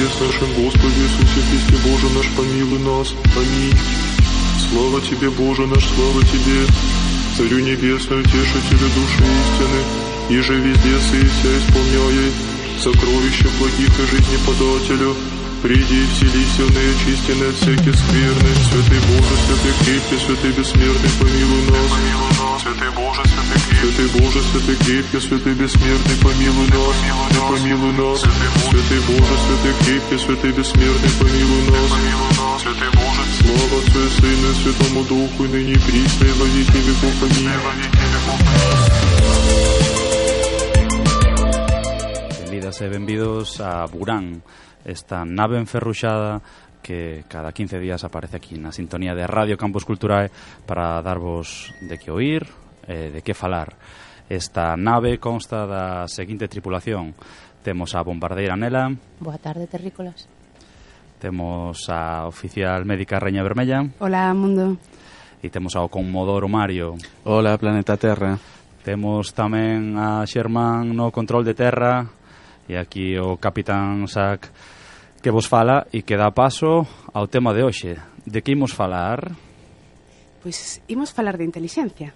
небес, нашем Господе Иисусе Христе, Боже наш, помилуй нас. Аминь. Слава Тебе, Боже наш, слава Тебе, Царю Небесную, Утешителю души истины, иже везде сыся исполняй сокровища благих и жизни подателю. Приди и вселися в неочистенные от всяких скверны. Святый Боже, святый крепкий, святый бессмертный, помилуй нас. Святый Боже, святый крепкий, святый Боже, святый крепкий, святый бессмертный, помилуй нас. Помилуй нас. Святый Боже, святый крепкий, святый бессмертный, помилуй нас. Святый Боже, слава Отцу и Сыну и Святому Духу, и ныне и присно, и во веки веков. Аминь. Benvidas e benvidos a Burán, esta nave enferruxada que cada 15 días aparece aquí na sintonía de Radio Campus Culturae para darvos de que oír, de que falar. Esta nave consta da seguinte tripulación. Temos a bombardeira Nela. Boa tarde, terrícolas. Temos a oficial médica Reña Vermella. Hola, mundo. E temos ao Conmodoro Mario. Hola, Planeta Terra. Temos tamén a Xermán no control de terra e aquí o Capitán Sac que vos fala e que dá paso ao tema de hoxe. De que imos falar? Pois imos falar de intelixencia.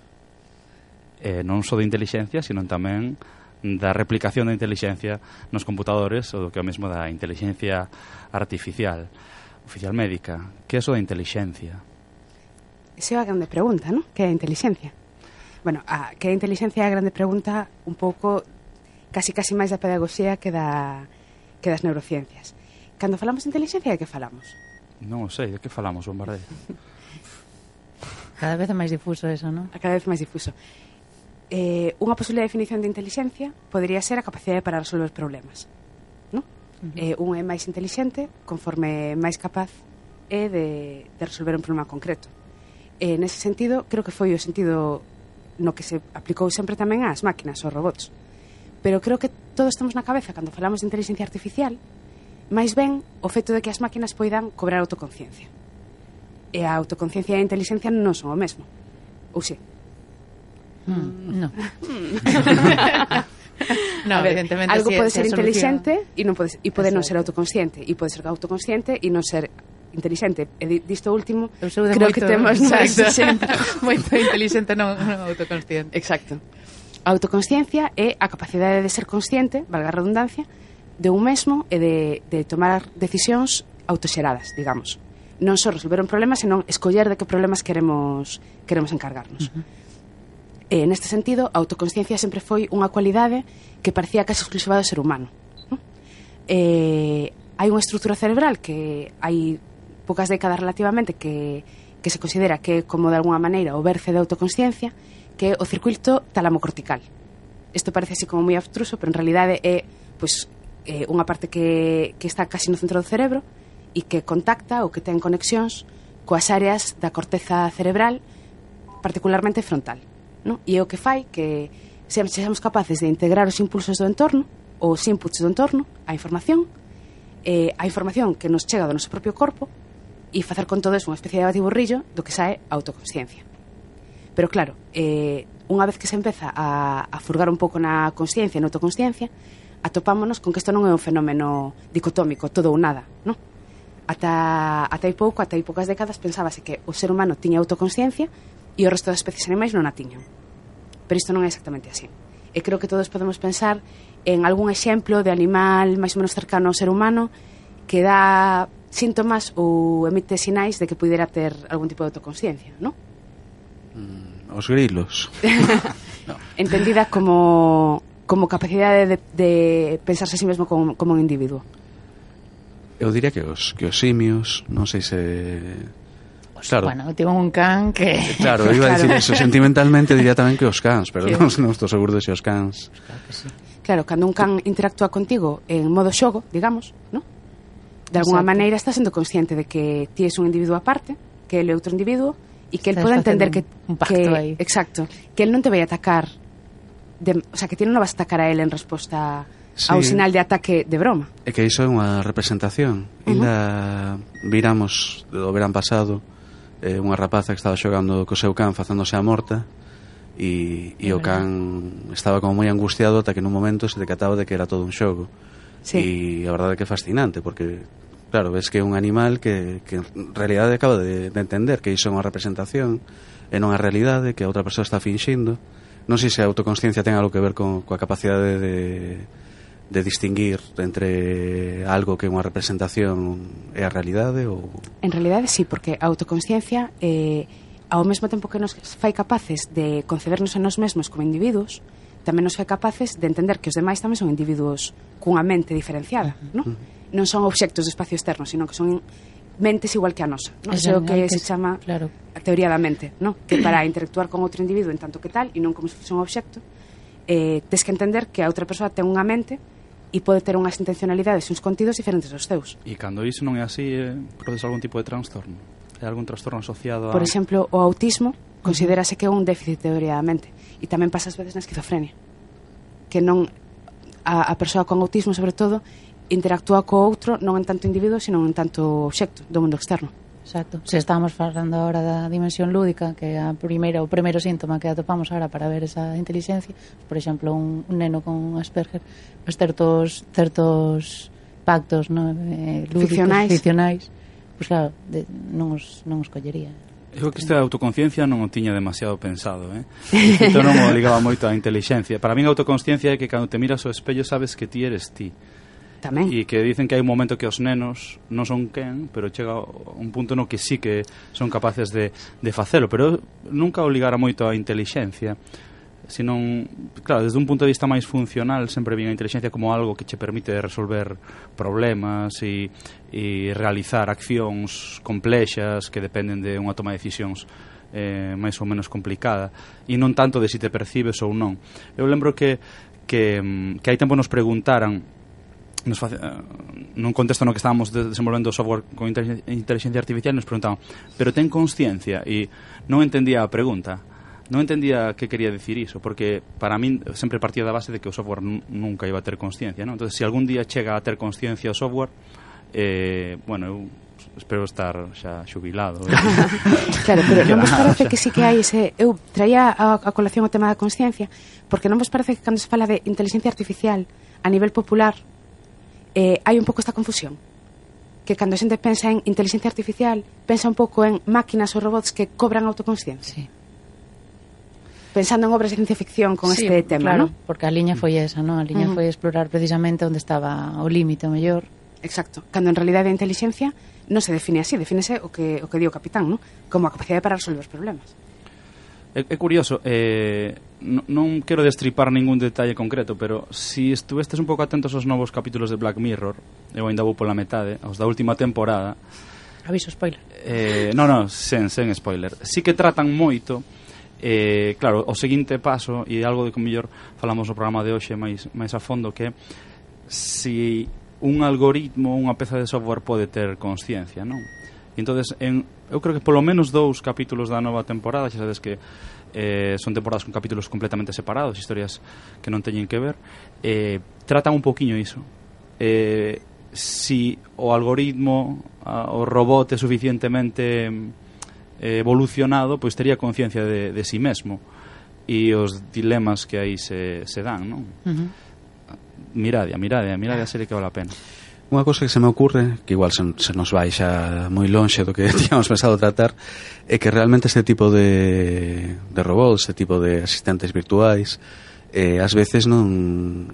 Non só de intelixencia, sino tamén da replicación da intelixencia nos computadores ou do que é o mesmo da intelixencia artificial. Oficial médica, que é iso da intelixencia? Esa é a grande pregunta, non? Que é a intelixencia? Bueno, que a intelixencia é a grande pregunta un pouco casi máis da pedagogía que das neurociencias. Cando falamos de intelixencia, de que falamos? Non sei, de que falamos, Bombardeira? Cada vez é máis difuso eso, non? Cada vez máis difuso. Unha posible definición de intelixencia podería ser a capacidade para resolver problemas, non? Un é máis intelixente conforme máis capaz é de resolver un problema concreto. Nese sentido, creo que foi o sentido no que se aplicou sempre tamén ás máquinas, aos robots. Pero creo que todos temos na cabeza, cando falamos de inteligencia artificial, máis ben o feito de que as máquinas poidan cobrar autoconciencia. E a autoconciencia e a inteligencia non son o mesmo. Ou si? No. No, a ver, evidentemente algo pode ser inteligente e pode non ser autoconsciente, e pode ser autoconsciente e non ser inteligente. E disto último, creo que temos máis exemplo. Moito inteligente, non autoconsciente. Exacto. A autoconsciencia é a capacidade de ser consciente, valga a redundancia, de un mesmo e de tomar decisións autoxeradas, digamos. Non só resolver un problema, senón escoller de que problemas queremos encargarnos. Neste sentido, a autoconsciencia sempre foi unha cualidade que parecía case exclusiva do ser humano. Hai unha estrutura cerebral que hai poucas décadas relativamente que se considera que é como de alguna maneira o berce da autoconsciencia, que é o circuito talamocortical. Isto parece así como moi abstruso, pero en realidade é unha parte que está casi no centro do cerebro e que contacta ou que ten conexións coas áreas da corteza cerebral, particularmente frontal, non? E é o que fai que sexamos capaces de integrar os impulsos do entorno ou os inputs do entorno, a información que nos chega do noso propio corpo e facer con todo eso unha especie de batiburrillo do que sae a autoconsciencia. Pero claro, unha vez que se empeza a furgar un pouco na consciencia e na autoconsciencia, atopámonos con que isto non é un fenómeno dicotómico, todo ou nada, non? Ata hai poucas décadas pensábase que o ser humano tiña autoconsciencia e o resto das especies animais non a tiñan. Pero isto non é exactamente así. E creo que todos podemos pensar en algún exemplo de animal máis ou menos cercano ao ser humano que dá síntomas ou emite sinais de que puidera ter algún tipo de autoconsciencia, non? Os grilos. No. Entendida como capacidade de pensarse a sí mesmo como un individuo. Eu diría que os simios, non sei se... Claro. Bueno, tivo un can que... Claro, iba a decir eso, sentimentalmente diría tamén que os cans, pero non estou seguro de se os cans... Claro que sí. Claro, cando un can interactúa contigo en modo xogo, digamos, ¿no? De alguna maneira estás sendo consciente de que ti és un individuo aparte, que ele é outro individuo, e que ele pode entender que... Un pacto aí. Exacto. Que ele non te vai atacar... o sea, que ti non vas a atacar a ele en resposta... Sí. A un sinal de ataque de broma. É que iso é unha representación. Ainda viramos do verán pasado unha rapaza que estaba xogando co seu can facéndose a morta e o can estaba como moi angustiado ata que nun momento se decataba de que era todo un xogo E a verdade é que é fascinante, porque claro, ves que é un animal que en realidade acaba de entender que iso é unha representación e non a realidade, que a outra persoa está finxindo. Non sei se a autoconsciencia ten algo que ver coa capacidade de distinguir entre algo que é unha representación e a realidade ou... En realidade sí, porque a autoconsciencia ao mesmo tempo que nos fai capaces de concebernos a nós mesmos como individuos, tamén nos fai capaces de entender que os demais tamén son individuos cunha mente diferenciada, non? Non son obxectos do espacio externo, sino que son mentes igual que a nosa, non? Iso que se chama a teoría da mente, non? Que para interactuar con outro individuo en tanto que tal, e non como se fose un obxecto, tes que entender que a outra persoa ten unha mente e pode ter unhas intencionalidades e uns contidos diferentes dos teus. E cando iso non é así, produce algún tipo de trastorno? É algún trastorno asociado a... Por exemplo, o autismo considérase que é un déficit de teoría da mente, e tamén pasa ás veces na esquizofrenia, que non a persoa con autismo, sobre todo, interactúa co outro non en tanto individuo, sino en tanto obxecto do mundo externo. Exacto. Se estamos falando agora da dimensión lúdica, que é o primeiro síntoma que atopamos agora para ver esa inteligencia, por exemplo, un neno con Asperger, pues certos pactos, ¿no? Lúdicos, ficcionais, pues claro, non os collería. Eu que esta autoconsciencia non o tiña demasiado pensado, Entón non o ligaba moito á inteligencia. Para min a autoconsciencia é que cando te miras ao espello sabes que ti eres ti. Tamén. E que dicen que hai un momento que os nenos non son quen, pero chega un punto no que sí que son capaces de facelo, pero nunca o ligara moito á inteligencia, senón, claro, desde un punto de vista máis funcional sempre vi a inteligencia como algo que che permite resolver problemas e realizar accións complexas que dependen de unha toma de decisións máis ou menos complicada, e non tanto de si te percibes ou non. Eu lembro que hai tempo nos preguntaran nun contexto no que estábamos desenvolvendo software con inteligencia artificial, nos preguntaban, pero ten consciencia? E non entendía a pregunta, non entendía que quería decir iso, porque para min sempre partía da base de que o software nunca iba a ter consciencia, non? Entonces, se algún día chega a ter consciencia o software, bueno, eu espero estar xa xubilado. Claro, pero non vos parece que sí que hai ese... Eu traía a colación o tema da consciencia, porque non vos parece que cando se fala de inteligencia artificial a nivel popular hai un pouco esta confusión, que cando a xente pensa en inteligencia artificial pensa un pouco en máquinas ou robots que cobran autoconsciencia, pensando en obras de ciencia ficción con este tema, claro, ¿no? Porque a liña foi esa, ¿no? A liña foi explorar precisamente onde estaba o límite o mellor. Exacto, cando en realidade a inteligencia non se define así, defínese o que di o capitán, ¿no? Como a capacidade para resolver os problemas. É curioso, non quero destripar ningún detalle concreto, pero si estuvestes un pouco atentos aos novos capítulos de Black Mirror, eu ainda vou pola metade, aos da última temporada. Aviso spoiler. Non, sen spoiler. Sí que tratan moito, claro, o seguinte paso, e algo de que mellor falamos no programa de hoxe máis a fondo, que si un algoritmo, unha peza de software pode ter consciencia, non? E entonces, eu creo que polo menos 2 capítulos da nova temporada, xa sabes que son temporadas con capítulos completamente separados, historias que non teñen que ver, tratan un poquinho iso. Si o algoritmo, o robot é suficientemente evolucionado, pois tería conciencia de si mesmo e os dilemas que aí se dan, non? Mirade a serie que vale a pena. Unha cousa que se me ocurre, que igual se nos vai xa moi lonxe do que tíamos pensado tratar, é que realmente este tipo de robots, este tipo de asistentes virtuais, ás veces non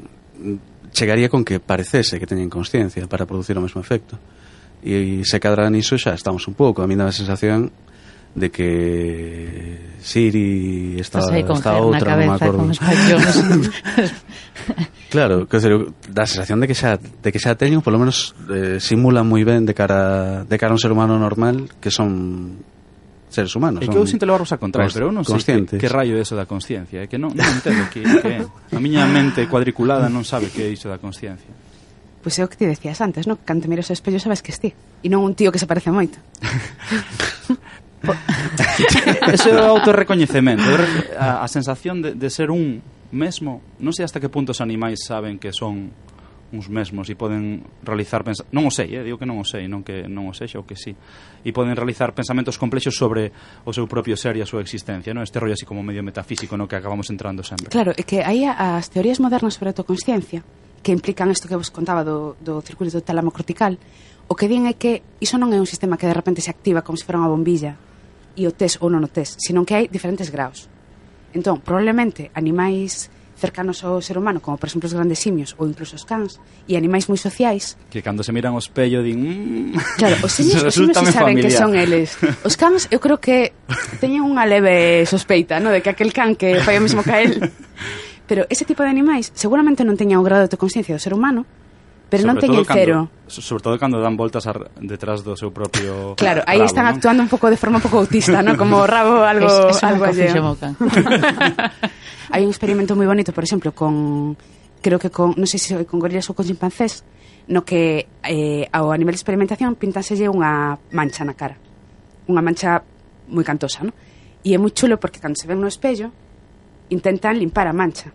chegaría con que parecese que teñen consciencia para producir o mesmo efecto. E se cadra niso xa estamos un pouco. A mí dá a sensación de que Siri está outra, non me acordo. Claro, que dá a sensación de que xa teñen, polo menos simulan moi ben de cara a un ser humano normal, que son seres humanos. É que eu sinto levarvos a contrario, pero eu non sei que raio é eso da consciencia, é que non entendo que é. A miña mente cuadriculada non sabe que é iso da consciencia. Pois é o que ti decías antes, non? Cando te miras ao espello sabes que es ti, e non un tío que se parece moito. Eso é o autorrecoñecemento, a sensación de ser un mesmo. Non sei hasta que punto os animais saben que son uns mesmos e poden realizar non o sei, digo que non o sei, non que non o sexa ou que sí, e poden realizar pensamentos complexos sobre o seu propio ser e a súa existencia, non? Este rollo así como medio metafísico no que acabamos entrando sempre. Claro, é que aí as teorías modernas sobre a autoconsciencia, que implican isto que vos contaba do circuito tálamo cortical, o que din é que iso non é un sistema que de repente se activa como se fora unha bombilla e o tes ou non o tes, sino que hai diferentes graus. Entón, probablemente animais cercanos ao ser humano, como por exemplo os grandes simios ou incluso os cans, e animais moi sociais, que cando se miran ao espello din claro, os simios si saben que son eles. Os cans eu creo que teñen unha leve sospeita, no, de que aquel can que fai o mesmo que a él. Pero ese tipo de animais seguramente non teñan o grado de autoconsciencia do ser humano, pero non teñen cero. Sobre todo cando dan voltas detrás do seu propio claro, aí rabo, están non? actuando un pouco de forma un pouco autista, ¿no? Como o rabo algo alleo. Hai un experimento moi bonito, por exemplo, creo que non sei se con gorilas ou con chimpancés, no que ao nivel de experimentación pintánselle unha mancha na cara. Unha mancha moi cantosa, ¿no? E é moi chulo porque cando se ven no espello intentan limpar a mancha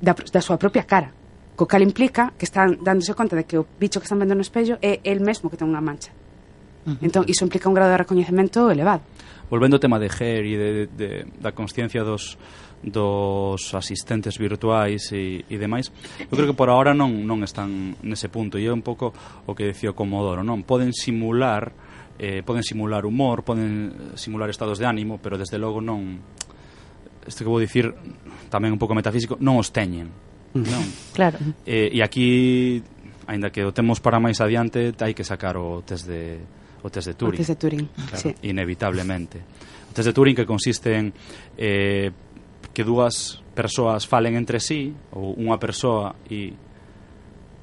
da súa propia cara, co cal implica que están dándose conta de que o bicho que están vendo no espello é el mesmo que ten unha mancha. Entón, iso implica un grado de recoñecemento elevado. Volvendo ao tema de GER e da consciencia dos asistentes virtuais e demais, eu creo que por ahora non están nese punto, e é un pouco o que decía o Comodoro, non? Poden simular humor, poden simular estados de ánimo, pero desde logo non, isto que vou dicir tamén un pouco metafísico, non os teñen, non? Claro. E aquí, aínda que o temos para máis adiante, hai que sacar o test de Turing. O test de Turing, claro, sí. Inevitablemente. O test de Turing que consiste en que dúas persoas falen entre sí, ou unha persoa e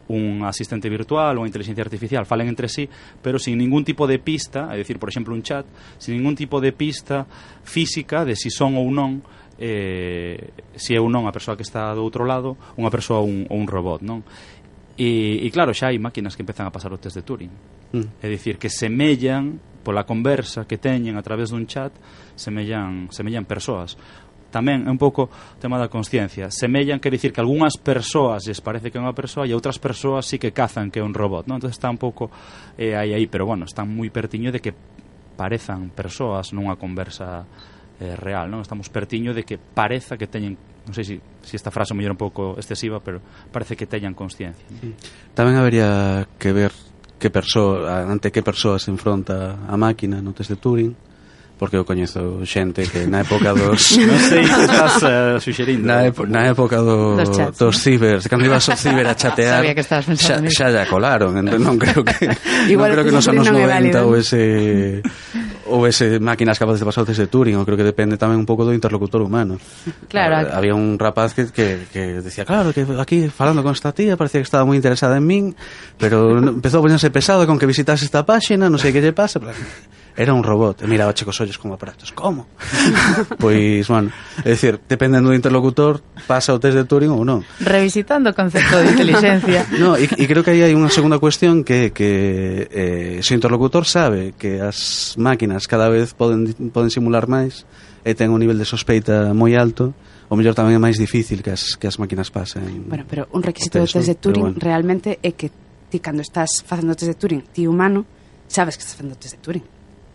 un asistente virtual ou unha inteligencia artificial falen entre sí, pero sin ningún tipo de pista, é dicir, por exemplo, un chat, sin ningún tipo de pista física de si son ou non si é ou non a persoa que está do outro lado unha persoa ou un robot, non? E claro, xa hai máquinas que empezan a pasar o test de Turing. É dicir, que semellan pola conversa que teñen a través dun chat, semellan persoas. Tamén é un pouco o tema da consciencia. Semellan, quer dicir que algunhas persoas lles parece que é unha persoa e outras persoas sí que cazan que é un robot, non? Entón está un pouco aí, pero bueno, están moi pertiño de que parezan persoas nunha conversa real, non? Estamos pertiño de que pareza que teñen, non sei se esta frase mellor un pouco excesiva, pero parece que teñan consciencia. Tamén habería que ver ante que persoa se enfronta a máquina no test de Turing, porque eu coñezo xente que na época dos non sei que estás suxerindo na época dos cibers, cando ibas ao ciber a chatear, sabía que estabas pensando xa colaron, entón non creo que igual non creo que nos anos 90 ou ese máquinas capaces de pasar o test de Turing. Eu creo que depende tamén un pouco do interlocutor humano. Claro, había un rapaz que decía, claro, que aquí falando con esta tía parecía que estaba moi interesada en min, pero empezou a ponerse pesado con que visitase esta páxina, non sei que lle pasa, pero era un robot, e miraba checos ollos como aparatos. Como? Pois, bueno, é dicir, dependendo do interlocutor pasa o test de Turing ou non. Revisitando o concepto de inteligencia. No, e creo que aí hai unha segunda cuestión que se o interlocutor sabe que as máquinas cada vez poden simular máis e ten un nivel de sospeita moi alto, o mellor tamén é máis difícil que as máquinas pasen. Bueno, pero un requisito do test de Turing realmente é que ti cando estás facendo o test de Turing, ti humano, sabes que estás facendo o test de Turing.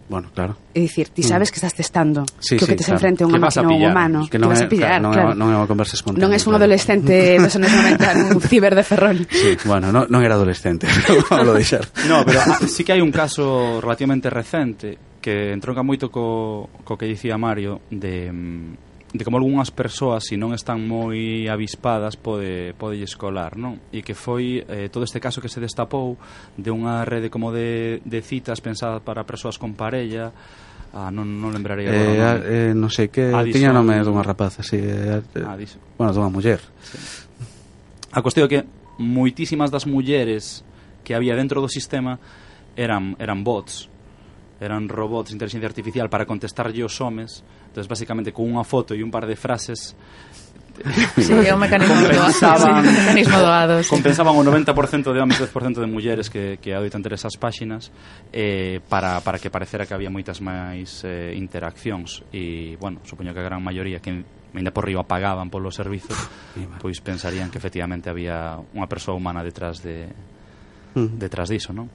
Bueno, claro. É dicir, ti sabes que estás testando que o que tes claro. enfrente é unha máquina ou un humano, que non vas a pillar, claro. Non é unha conversa espontánea. Non é un adolescente dos anos 90 nun ciber de Ferrol. Sí, bueno, non era adolescente, vamos a deixar. No, pero sí que hai un caso relativamente recente que entronca moito co que dicía Mario de como algunhas persoas, se non están moi avispadas, podelles colar, non? E que foi todo este caso que se destapou de unha rede como de citas pensada para persoas con parella, non lembrarei agora. Non sei que tiña nome dunha rapaza, si, bueno, dunha muller. Sí. A cuestión é que moitísimas das mulleres que había dentro do sistema eran bots, eran robots de inteligencia artificial para contestarlle os homes. Entonces, basicamente, con unha foto e un par de frases sí, é un mecanismo doado, sí. Compensaban o 90% de homes e 10% de mulleres que adoitan ter esas páxinas para que parecera que había moitas máis interaccións. E, bueno, supoño que a gran maioría que ainda por riba pagaban polos servizos, pois pensarían que efectivamente había unha persoa humana detrás diso, non?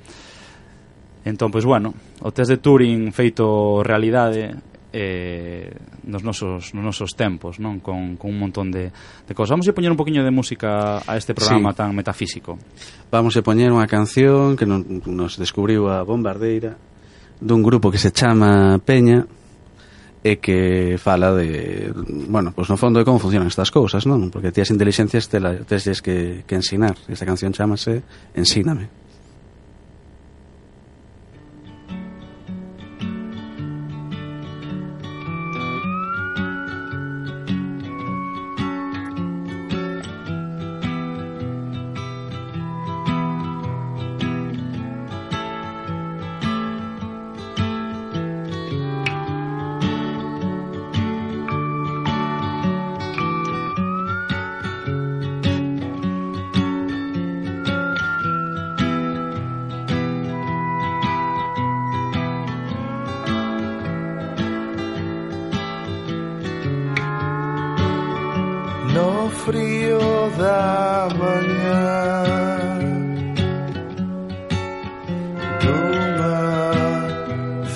Entón, pois, bueno, o test de Turing feito realidade nos nosos tempos, non? Con un montón de cosas. Vamos a poñer un poquinho de música a este programa tan metafísico. Vamos a poñer unha canción que nos descubriu a Bombardeira dun grupo que se chama Peña e que fala de, bueno, pues no fondo de como funcionan estas cousas, non? Porque ti as inteligencias tesles que ensinar. Esta canción chamase Ensíname. No frío da mañá dunha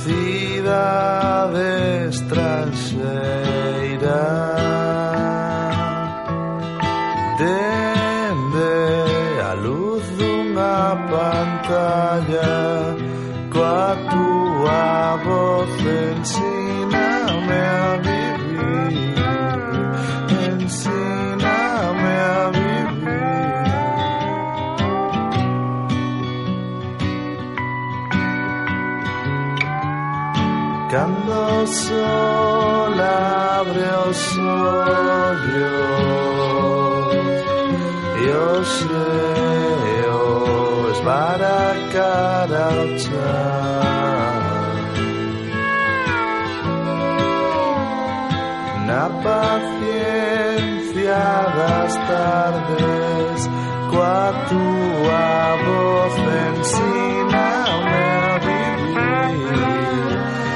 cidade estranxeira, dende a luz dunha pantalla, coa túa voz ensíname a vivir, ensíname a vivir. Cando o sol abre os ollos e o xeo esvara cara ao chan, na paciencia das tardes, coa túa voz ensíname a vivir,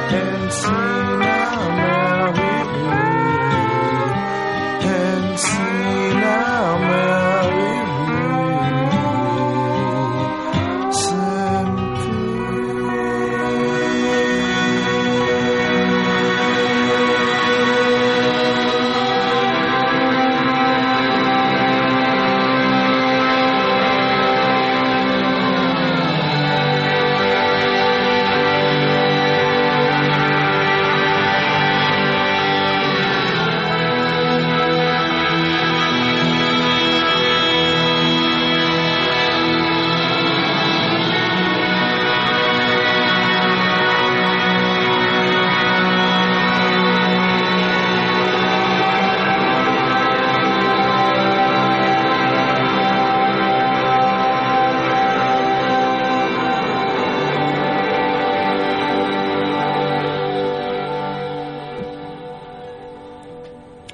ensíname a vivir, ensíname a vivir,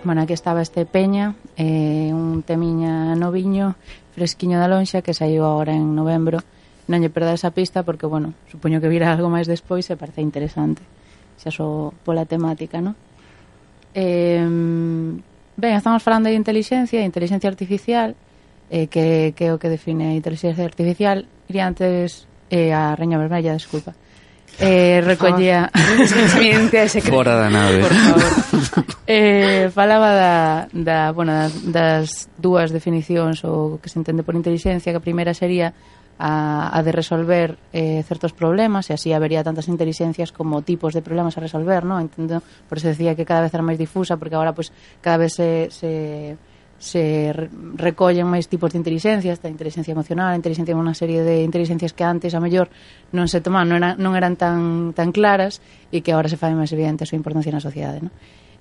Bueno, aquí estaba este Peña, un temiña noviño, fresquiño da lonxa, que saiu agora en novembro. Non lle perda esa pista porque, bueno, supoño que virá algo máis despois e parece interesante, xa só pola temática, non? Ben, estamos falando de inteligencia artificial, que é o que define a inteligencia artificial. Iría antes a Reña Vermella, desculpa. Recollía fora da nave, por favor. Falaba das dúas definicións o que se entende por inteligencia, que a primeira sería a de resolver certos problemas, e así habería tantas inteligencias como tipos de problemas a resolver, ¿no? Entendo, por eso decía que cada vez era máis difusa, porque agora pues cada vez se recollen máis tipos de inteligencias, a inteligencia emocional, a inteligencia, unha serie de inteligencias que antes a mellor non se tomaban, non eran tan claras, e que agora se fai máis evidente a súa importancia na sociedade, ¿no?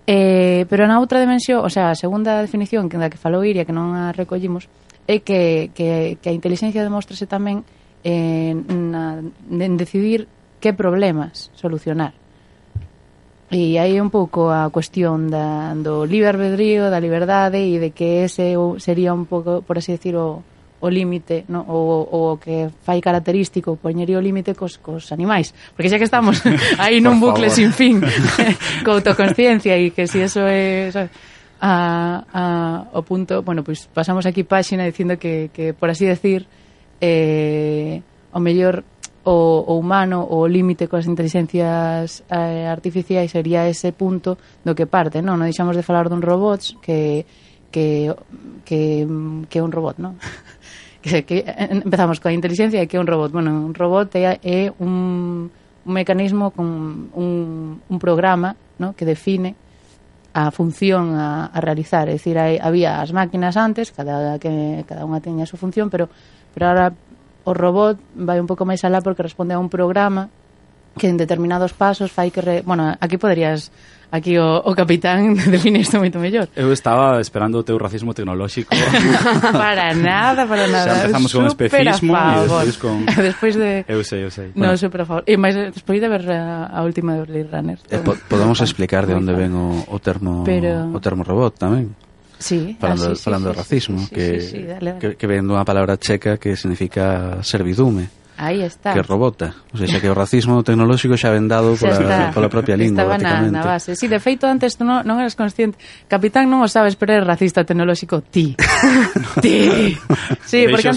Pero na outra dimensión, o sea, a segunda definición da que falou Iria, que non a recollimos, é que a inteligencia demóstrase tamén en decidir que problemas solucionar. E aí un pouco a cuestión do libre albedrío, da liberdade, e de que ese sería un pouco, por así decir, o límite, no? o que fai característico, poñería o límite cos animais, porque xa que estamos aí nun bucle sin fin co autoconsciencia, e que si eso é o punto, bueno, pois pasamos aquí páxina dicindo que por así decir, o mellor o humano, o límite coas inteligencias artificiais sería ese punto do que parte, non? Non deixamos de falar dun robots que é un robot, non? que empezamos coa inteligencia e que é un robot. Bueno, un robot é un mecanismo con un programa, ¿no?, que define a función a realizar. É dicir, había as máquinas antes, cada unha teña a súa función, pero ahora o robot vai un pouco máis alá porque responde a un programa que en determinados pasos fai que... Bueno, aquí poderías... Aquí o capitán define isto moito mellor. Eu estaba esperando o teu racismo tecnolóxico. Para nada. Xa empezamos con especismo e despois con... Despois de... Eu sei. No, super a favor. E máis despois de ver a última de Blade Runner. Podemos explicar de onde ven o termo robot tamén. Sí, falando de racismo, dale. Que ven dunha palabra checa que significa servidume. Aí está. Que robota. O sea, que o racismo tecnolóxico xa ven dado pola propia lingua, estaba prácticamente. na base. Sí, de feito, antes tú non eras consciente. Capitán non o sabes, pero eres racista tecnolóxico. Ti. Sí, porque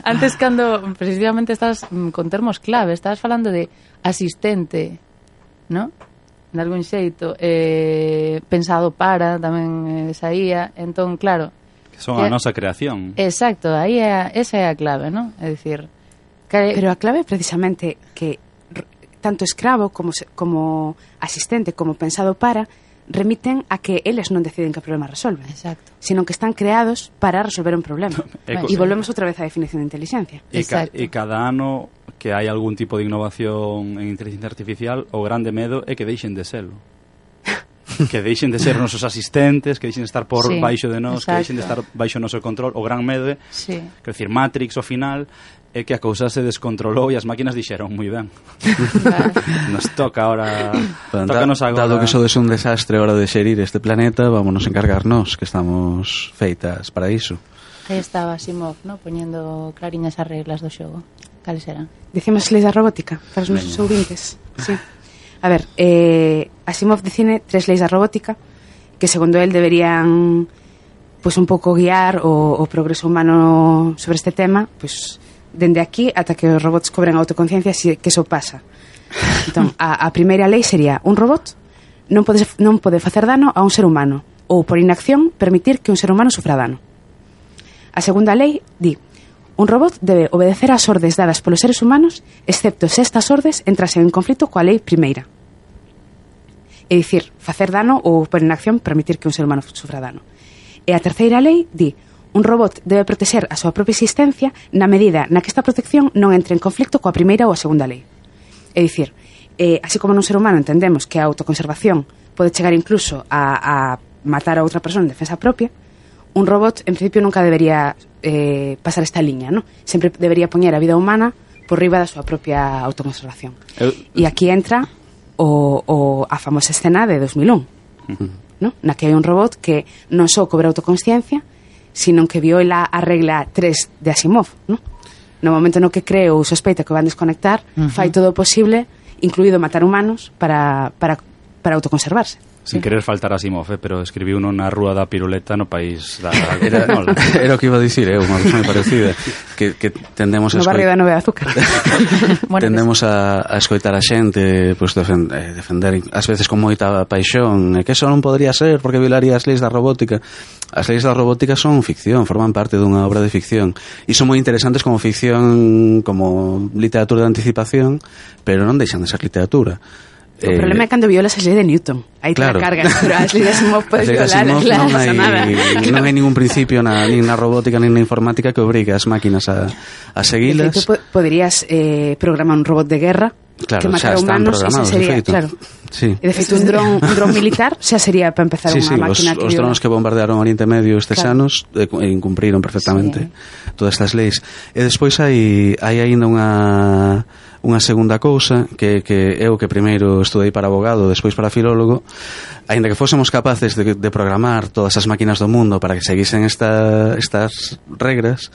antes cando precisamente estás con termos clave, estabas falando de asistente, ¿no? De algún xeito. Pensado para, tamén saía. Entón, claro... Son a nosa creación. Exacto, aí esa é a clave, non? É dicir, pero a clave é precisamente que tanto escravo como asistente, como pensado para, remiten a que eles non deciden que problema resolven. Exacto. Sino que están creados para resolver un problema. E volvemos outra vez á definición de inteligencia. E cada ano que hai algún tipo de innovación en inteligencia artificial, o grande medo é que deixen de serlo. Que deixen de ser nosos asistentes, que deixen de estar por baixo de nós, que deixen de estar baixo o noso control. O gran medo é, quero dicir, Matrix, ao final, é que a cousa se descontrolou e as máquinas dixeron moi ben. Nos toca ahora... Tócanos agora... Dado que sodes un desastre a hora de xerir este planeta, vámonos encargarnos, que estamos feitas para iso. Aí estaba Asimov, ¿no?, poñendo clariñas as reglas do xogo. Cales eran? Decimos leis da robótica para os nosos ouvintes. Sí. A ver, Asimov define 3 leis da robótica que, segundo él, deberían pues un pouco guiar o progreso humano sobre este tema, pues dende aquí ata que os robots cobren autoconciencia, que eso pasa. Entón, a primeira lei sería: un robot non pode facer dano a un ser humano, ou por inacción permitir que un ser humano sufra dano. A segunda lei di: un robot debe obedecer ás ordes dadas polos seres humanos, excepto se estas ordes entrasen en conflito coa lei primeira. É dicir, facer dano ou por inacción permitir que un ser humano sufra dano. E a terceira lei di: un robot debe protexer a súa propia existencia na medida na que esta protección non entre en conflicto coa primeira ou a segunda lei. É dicir, así como nun ser humano entendemos que a autoconservación pode chegar incluso a matar a outra persona en defensa propia, un robot en principio nunca debería pasar esta liña, ¿no? Sempre debería poñer a vida humana por riba da súa propia autoconservación. E aquí entra a famosa escena de 2001, ¿no?, na que hai un robot que non só cobra autoconsciencia, sino que viola a regla 3 de Asimov, ¿no? No momento no que cree ou sospeita que van desconectar, fai todo o posible, incluído matar humanos, para autoconservarse. Sin querer faltar a Asimov, pero escribiu uno na rúa da piruleta no país da... Era o que iba a dicir, unha cousa moi parecida, que tendemos no barrio da Nove de Azúcar. Tendemos a escoitar a xente, pues, defender ás veces con moita paixón, que eso non podría ser porque violaría as leis da robótica. As leis da robótica son ficción, forman parte dunha obra de ficción e son moi interesantes como ficción, como literatura de anticipación, pero non deixan de ser literatura. O problema é cando violas as leis de Newton. Aí claro, te la cargas, pero as leis de Asimov podes violar, claro, non pasa nada. Non hai ningún principio nin na robótica nin na informática que obrigue as máquinas a seguilas. De feito, poderías programar un robot de guerra, claro, que matara humanos, e sería, claro. Sí. E de feito un dron militar xa sería para empezar unha máquina que... Os drones que bombardearon Oriente Medio estes anos incumpriron perfectamente todas estas leis. E despois hai aínda unha segunda cousa que eu que primeiro estudei para abogado, despois para filólogo, aínda que fósemos capaces de programar todas as máquinas do mundo para que seguisen estas regras,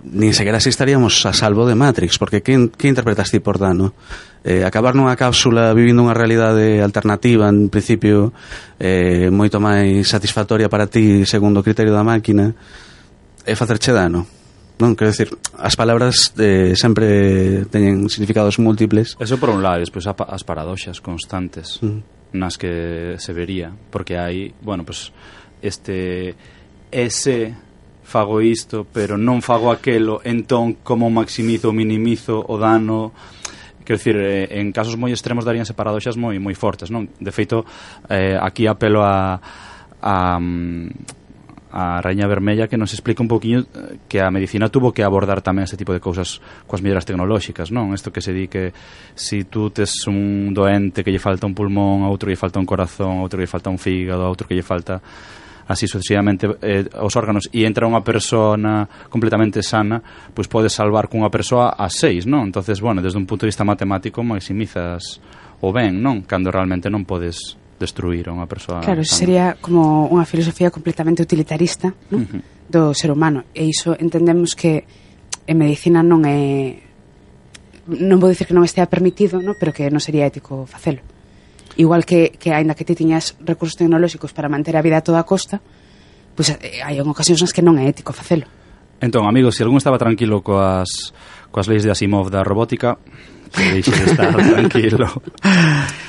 nin sequera así estaríamos a salvo de Matrix, porque que interpretas ti por dano? Acabar nunha cápsula vivindo unha realidade alternativa, en principio moito máis satisfactoria para ti segundo o criterio da máquina, é facerche dano. non? Quero decir, as palabras sempre teñen significados múltiples. Eso por un lado, despois as paradoxas constantes nas que se vería, porque hai, bueno, pues ese fago isto, pero non fago aquelo, entón como maximizo ou minimizo o dano. Quero dicir, en casos moi extremos daríanse paradoxas moi fortes, non? De feito, aquí apelo a Raíña Vermella, que nos explica un poquinho que a medicina tuvo que abordar tamén ese tipo de cousas coas melloras tecnolóxicas, non? Isto que se di que si tú tes un doente que lle falta un pulmón, a outro lle falta un corazón, a outro lle falta un fígado, a outro que lle falta así sucesivamente os órganos, e entra unha persona completamente sana, pois podes salvar cunha persoa a 6, non? Entonces, bueno, desde un punto de vista matemático maximizas o ben, non? Cando realmente non podes destruir a unha persoa. Claro, eso sería como unha filosofía completamente utilitarista, ¿no? Do ser humano, e iso entendemos que en medicina non é, non vou dicir que non estea permitido, ¿no? Pero que non sería ético facelo. Igual que aínda que ti tiñas recursos tecnolóxicos para manter a vida a toda costa, pois hai ocasións nas que non é ético facelo. Entón, amigos, se algún estaba tranquilo coas leis de Asimov da robótica, que deixe de estar tranquilo.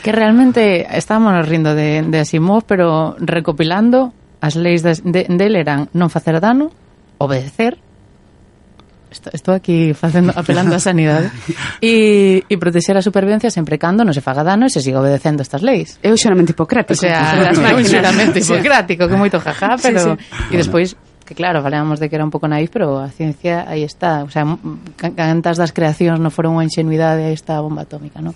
Que realmente estábamos rindo de Asimov, pero recopilando, as leis dele eran non facer dano, obedecer, estou aquí apelando á sanidade, e protexer a supervivencia sempre cando non se faga dano e se siga obedecendo estas leis. É un xuramento hipocrático. O sea, un xuramento hipocrático, que moito jajá, pero... E despois, que claro, falábamos de que era un pouco naif, pero a ciencia aí está. O sea, cantas das creacións non foron unha ingenuidade, aí está a bomba atómica, non?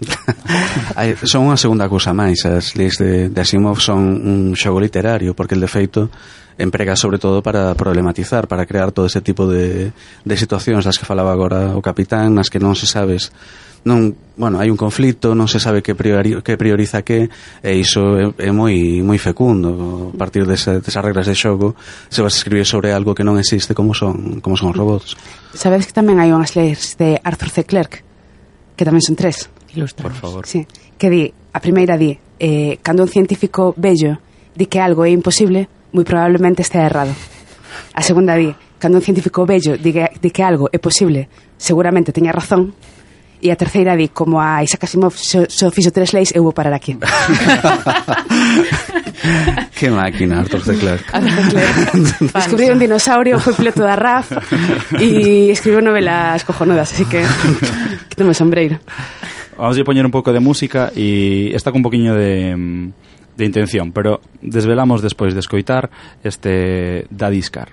Son unha segunda cousa máis. As leis de Asimov son un xogo literario, porque el de feito emprega sobre todo para problematizar, para crear todo ese tipo de situacións das que falaba agora o capitán, nas que non se sabes, non, bueno, hai un conflito, non se sabe que prioriza que, e iso é moi fecundo. A partir desas regras de xogo se vas a escribir sobre algo que non existe, como son os robots. Sabedes que tamén hai unhas leis de Arthur C. Clarke, que tamén son 3. Ilustrados. Por favor. Sí, que di, a primeira di, cando un científico bello di que algo é imposible, moi probablemente estea errado. A segunda di, cando un científico bello di que algo é posible, seguramente teña razón. E a terceira di, como a Isaac Asimov só fixo 3 leis, eu vou parar aquí. Que máquina, Arthur C. Clarke. Descubriu un dinosaurio, foi piloto da RAF e escribiu novelas cojonudas, así que quítame o sombreiro. Vamos a poñer un pouco de música e está con un poquinho de intención, pero desvelamos despois de escoitar este Daddy's Car.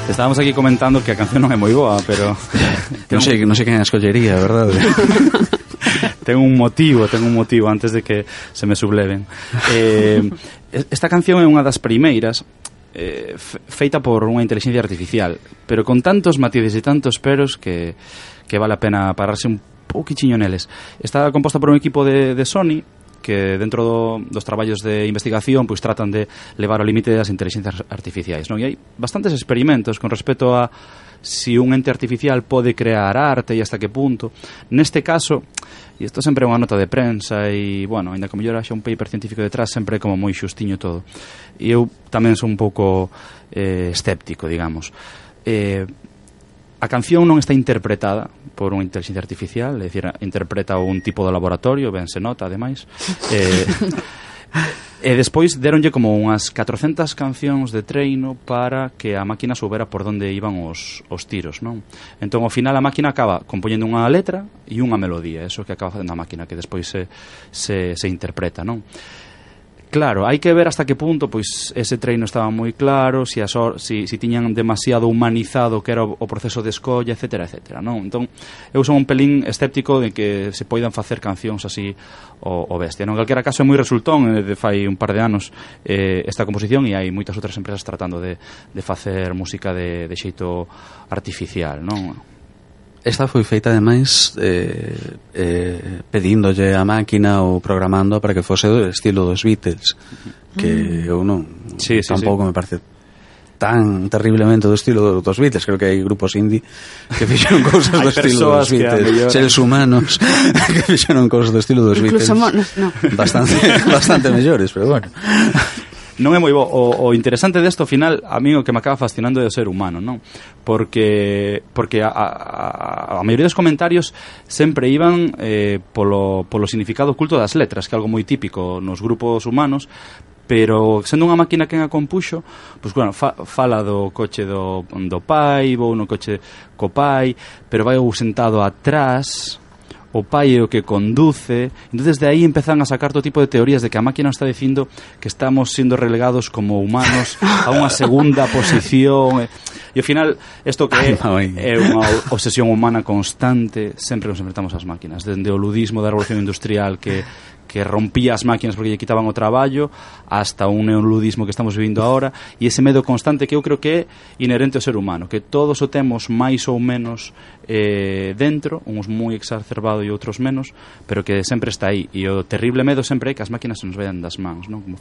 Estábamos aquí comentando que a canción non é moi boa, pero non sei quen a escollería, verdade? Ten un motivo antes de que se me subleven. Esta canción é unha das primeiras feita por unha inteligencia artificial, pero con tantos matices e tantos peros que vale a pena pararse un pouquichiño neles. Está composta por un equipo de Sony que dentro dos traballos de investigación pois tratan de levar ao límite das inteligencias artificiais, non? E hai bastantes experimentos con respecto a si un ente artificial pode crear arte e hasta que punto. Neste caso, e isto sempre é unha nota de prensa e, bueno, ainda como mellor haxa un paper científico detrás, sempre é como moi xustiño todo. E eu tamén son un pouco escéptico, digamos. A canción non está interpretada por unha inteligencia artificial, é dicir, interpreta un tipo de laboratorio, ben se nota, ademais. E despois deronlle como unhas 400 cancións de treino para que a máquina soubera por onde iban os tiros, non? Entón, ao final, a máquina acaba compoñendo unha letra e unha melodía, eso que acaba facendo a máquina, que despois se interpreta, non? Claro, hai que ver hasta que punto pois ese treino estaba moi claro, si tiñan demasiado humanizado que era o proceso de escolla, etcétera, etcétera, non? Entón, eu son un pelín escéptico de que se poidan facer cancións así o bestia, non? En calquera caso é moi resultón, de fai un par de anos esta composición, e hai moitas outras empresas tratando de facer música de xeito artificial, non? Esta foi feita, ademais, pedíndolle a máquina ou programando para que fose do estilo dos Beatles, que eu non tampouco me parece tan terriblemente do estilo dos Beatles. Creo que hai grupos indie que fixeron cousas do estilo dos Beatles, seres humanos que fixeron cousas do estilo dos Beatles, bastante mellores, pero bueno. Non é moi bo. O interesante desto, ao final, a mí o que me acaba fascinando é o ser humano, non? Porque a maioría dos comentarios sempre iban polo significado oculto das letras, que é algo moi típico nos grupos humanos, pero sendo unha máquina quen a compuxo, pois, bueno, fala do coche do pai, vou no coche co pai, pero vai sentado atrás, o pai é o que conduce. Entonces de aí empezan a sacar todo tipo de teorías de que a máquina está dicindo que estamos sendo relegados como humanos a unha segunda posición, e ao final isto que é unha obsesión humana constante. Sempre nos enfrentamos ás máquinas, dende o ludismo da revolución industrial que rompía as máquinas porque lle quitaban o traballo, hasta un neoludismo que estamos vivindo agora, e ese medo constante que eu creo que é inherente ao ser humano, que todos o temos máis ou menos dentro, uns moi exacerbado e outros menos, pero que sempre está aí. E o terrible medo sempre é que as máquinas se nos vayan das mans, non? Como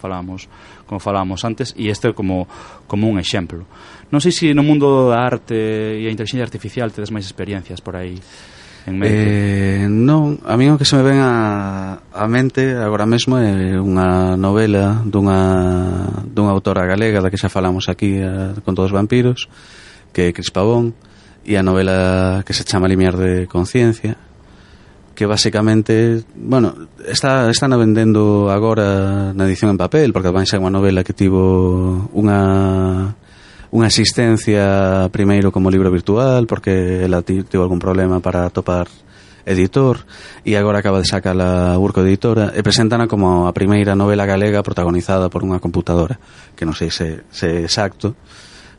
falábamos antes, e este é como un exemplo. Non sei se no mundo da arte e a inteligencia artificial tedes máis experiencias por aí en mente. Non, a mí o que se me ven a mente agora mesmo é unha novela dunha autora galega da que xa falamos aquí con todos os vampiros, que é Cris Pavón, e a novela que se chama Limiar de Conciencia, que basicamente, bueno, está vendendo agora na edición en papel, porque vai ser unha novela que tivo unha existencia primeiro como libro virtual, porque ela tivo algún problema para atopar editor, e agora acaba de sacar a Urco Editora, e presentana como a primeira novela galega protagonizada por unha computadora, que non sei se é exacto,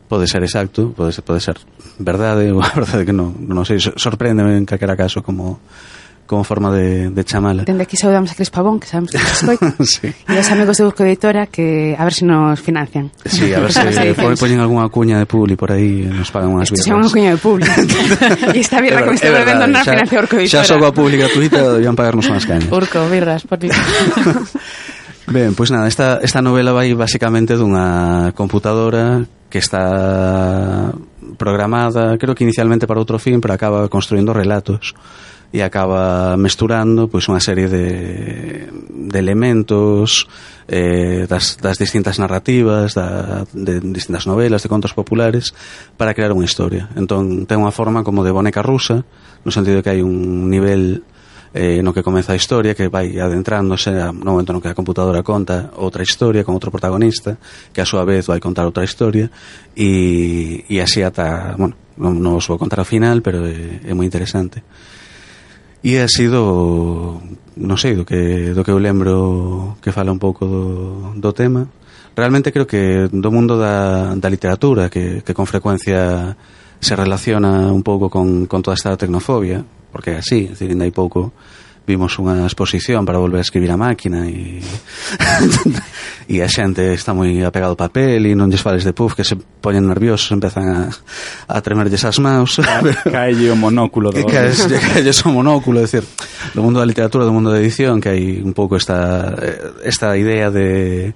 pode ser exacto, pode ser verdade, ou a verdade que non sei, sorpréndeme en calquera caso como forma de chamala. Dende aquí saudamos a Cris Pavón, que sabemos que nos escoita, sí. E os amigos de Urco Editora, que a ver se nos financian. Sí, a ver se poñen algunha cuña de publi por aí e nos pagan unhas birras. Isto é unha cuña de publi. E esta birra que me estou bebendo non financia Urco Editora. Xa só coa publi gratuita debían pagarnos unhas cañas. Urco, birras, por ti. Ben, pois nada, esta novela vai basicamente dunha computadora que está programada, creo que inicialmente para outro fin, pero acaba construindo relatos e acaba mesturando pois unha serie de elementos das distintas narrativas, de distintas novelas, de contos populares, para crear unha historia. Entón ten unha forma como de boneca rusa, no sentido de que hai un nivel no que comeza a historia, que vai adentrándose no momento no que a computadora conta outra historia con outro protagonista, que a súa vez vai contar outra historia, e así ata, bueno, non os vou contar ao final, pero é moi interesante. E ha sido, non sei, do que eu lembro que fala un pouco do tema. realmente creo que do mundo da literatura que con frecuencia se relaciona un pouco con toda esta tecnofobia, porque é así, é dicir, ainda hai pouco vimos unha exposición para volver a escribir a máquina e e a xente está moi apegado ao papel e non lles fales de puff que se poñen nerviosos, empezan a tremerlles as maus, caelle o monóculo caelles o monóculo, é dicir, do mundo da literatura, do mundo da edición, que hai un pouco esta idea de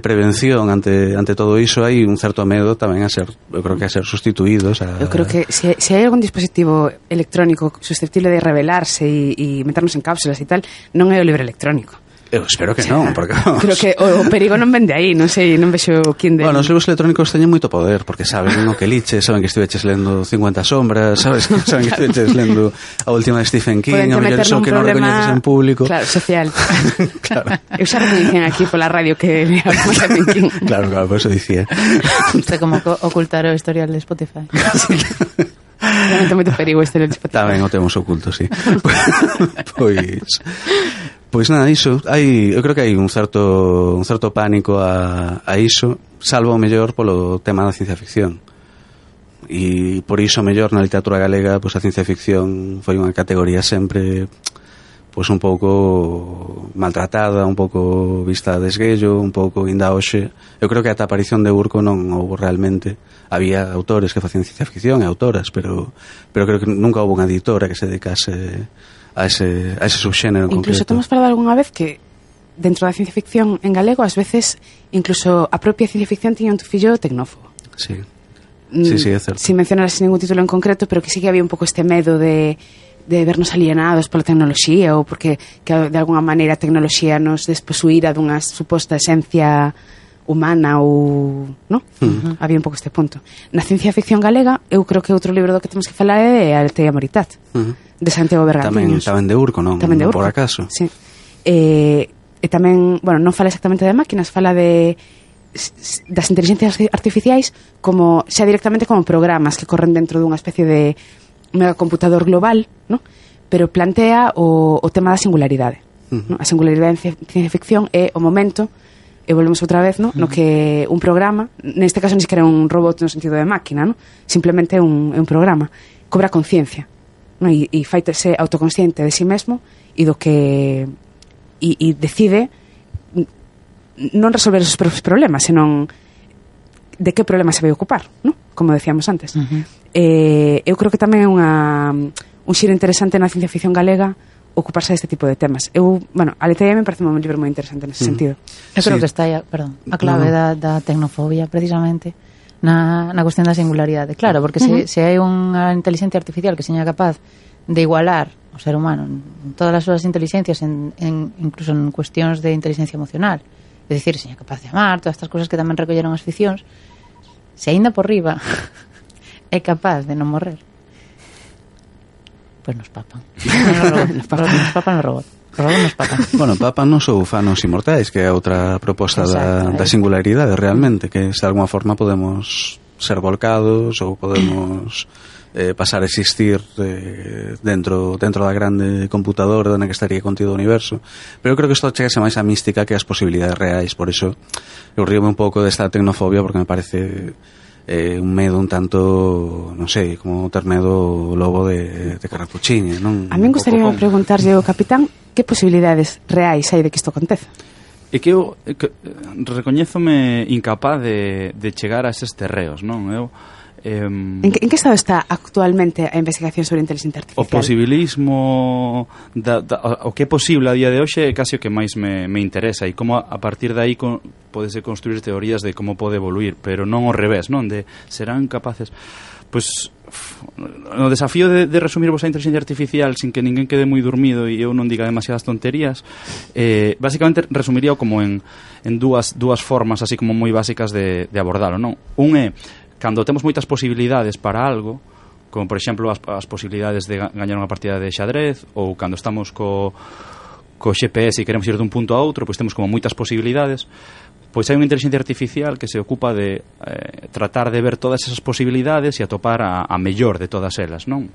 prevención ante todo iso. Hai un certo medo tamén eu creo que a ser sustituídos eu creo que se hai algún dispositivo electrónico susceptible de revelarse e meternos en cápsulas e tal, non é o libro electrónico. Eu espero que non, porque creo que o perigo non vende aí, non sei, non vexo quen de... Bueno, os libros electrónicos teñen moito poder, porque saben o que liches, saben que estiveches lendo 50 sombras, saben que estiveches lendo a última de Stephen King, o mellor son que non recoñeces en público. Claro, social. Claro. Eu xa recoñecen aquí pola radio que leamos Stephen King. Claro, por eso dicía. Isto como ocultar o historial de Spotify. Realmente moito perigo este de Spotify. Tamén o temos oculto, sí. Pois nada, iso, eu creo que hai un certo pánico a iso, salvo o mellor polo tema da ciencia ficción. E por iso mellor na literatura galega, pois a ciencia ficción foi unha categoría sempre pois un pouco maltratada, un pouco vista a desguello, un pouco inda hoxe. Eu creo que ata a aparición de Urco non houve realmente, había autores que facían ciencia ficción e autoras, pero creo que nunca houve unha editora que se dedicase a ese subxénero en incluso concreto. Temos falado algunha vez que dentro da ciencia ficción en galego ás veces incluso a propia ciencia ficción tiña un tufillo tecnófobo. Sí, é certo. Sin mencionar ningún título en concreto, pero que sí que había un pouco este medo de vernos alienados pola tecnoloxía ou porque que de alguna maneira a tecnoloxía nos desposuíra dunha suposta esencia humana ou... ¿no? Había un pouco este punto. Na ciencia ficción galega, eu creo que outro libro do que temos que falar é de Aletea Moritat, de Santiago Bergantiños. Tamén de Urco, non? Tamén de Urco. Por acaso. Sí. E tamén, bueno, non fala exactamente de máquinas, fala das inteligencias artificiais como xa directamente como programas que corren dentro dunha especie de megacomputador global, ¿no? Pero plantea o tema da singularidade. ¿No? A singularidade en ciencia ficción é o momento, e volvemos outra vez, ¿no? No que un programa, neste caso ni siquiera un robot no sentido de máquina, ¿no? Simplemente un programa, cobra conciencia, ¿no? E faitese autoconsciente de si mesmo e do que e decide non resolver os propios problemas, senón de que problema se vai ocupar, ¿no? Como decíamos antes. Eu creo que tamén é un xiro interesante na ciencia ficción galega ocuparse deste tipo de temas. Aletea me parece un libro moi interesante nese sentido. Eu creo que está aí, a clave da tecnofobia precisamente na cuestión da singularidade. Claro, porque se hai unha inteligencia artificial que seña capaz de igualar o ser humano en todas as súas inteligencias, incluso en cuestións de inteligencia emocional, é dicir, seña capaz de amar, todas estas cousas que tamén recolleron as ficcións, se aínda por riba é capaz de non morrer, pois nos papan. Nos papan no robot. Nos papan. Bueno, papan non sou fanos inmortais, que é outra proposta da singularidade realmente, que de alguma forma podemos ser volcados ou podemos pasar a existir dentro da grande computadora na que estaría contido o universo. Pero eu creo que isto chegase máis a mística que as posibilidades reais, por iso eu ríome un pouco desta tecnofobia, porque me parece un medo un tanto, non sei, como ter medo o lobo de Carrapuccini, non? A min gustaría preguntarlle ao capitán que posibilidades reais hai de que isto aconteza. É que eu recoñézome incapaz de chegar a eses terreos, non? En que estado está actualmente a investigación sobre a inteligencia artificial? O posibilismo o que é posible a día de hoxe é casi o que máis me interesa, e como a partir de aí podese construir teorías de como pode evoluir, pero non ao revés, non? De serán capaces... Pois o desafío de resumir vos a inteligencia artificial sin que ninguén quede moi dormido e eu non diga demasiadas tonterías, basicamente resumiría como en dúas formas así como moi básicas de abordalo, non? Un é cando temos moitas posibilidades para algo, como por exemplo as posibilidades de gañar unha partida de xadrez, ou cando estamos co GPS e queremos ir dun punto a outro, pois temos como moitas posibilidades. Pois hai unha inteligencia artificial que se ocupa de tratar de ver todas esas posibilidades e atopar a mellor de todas elas, non?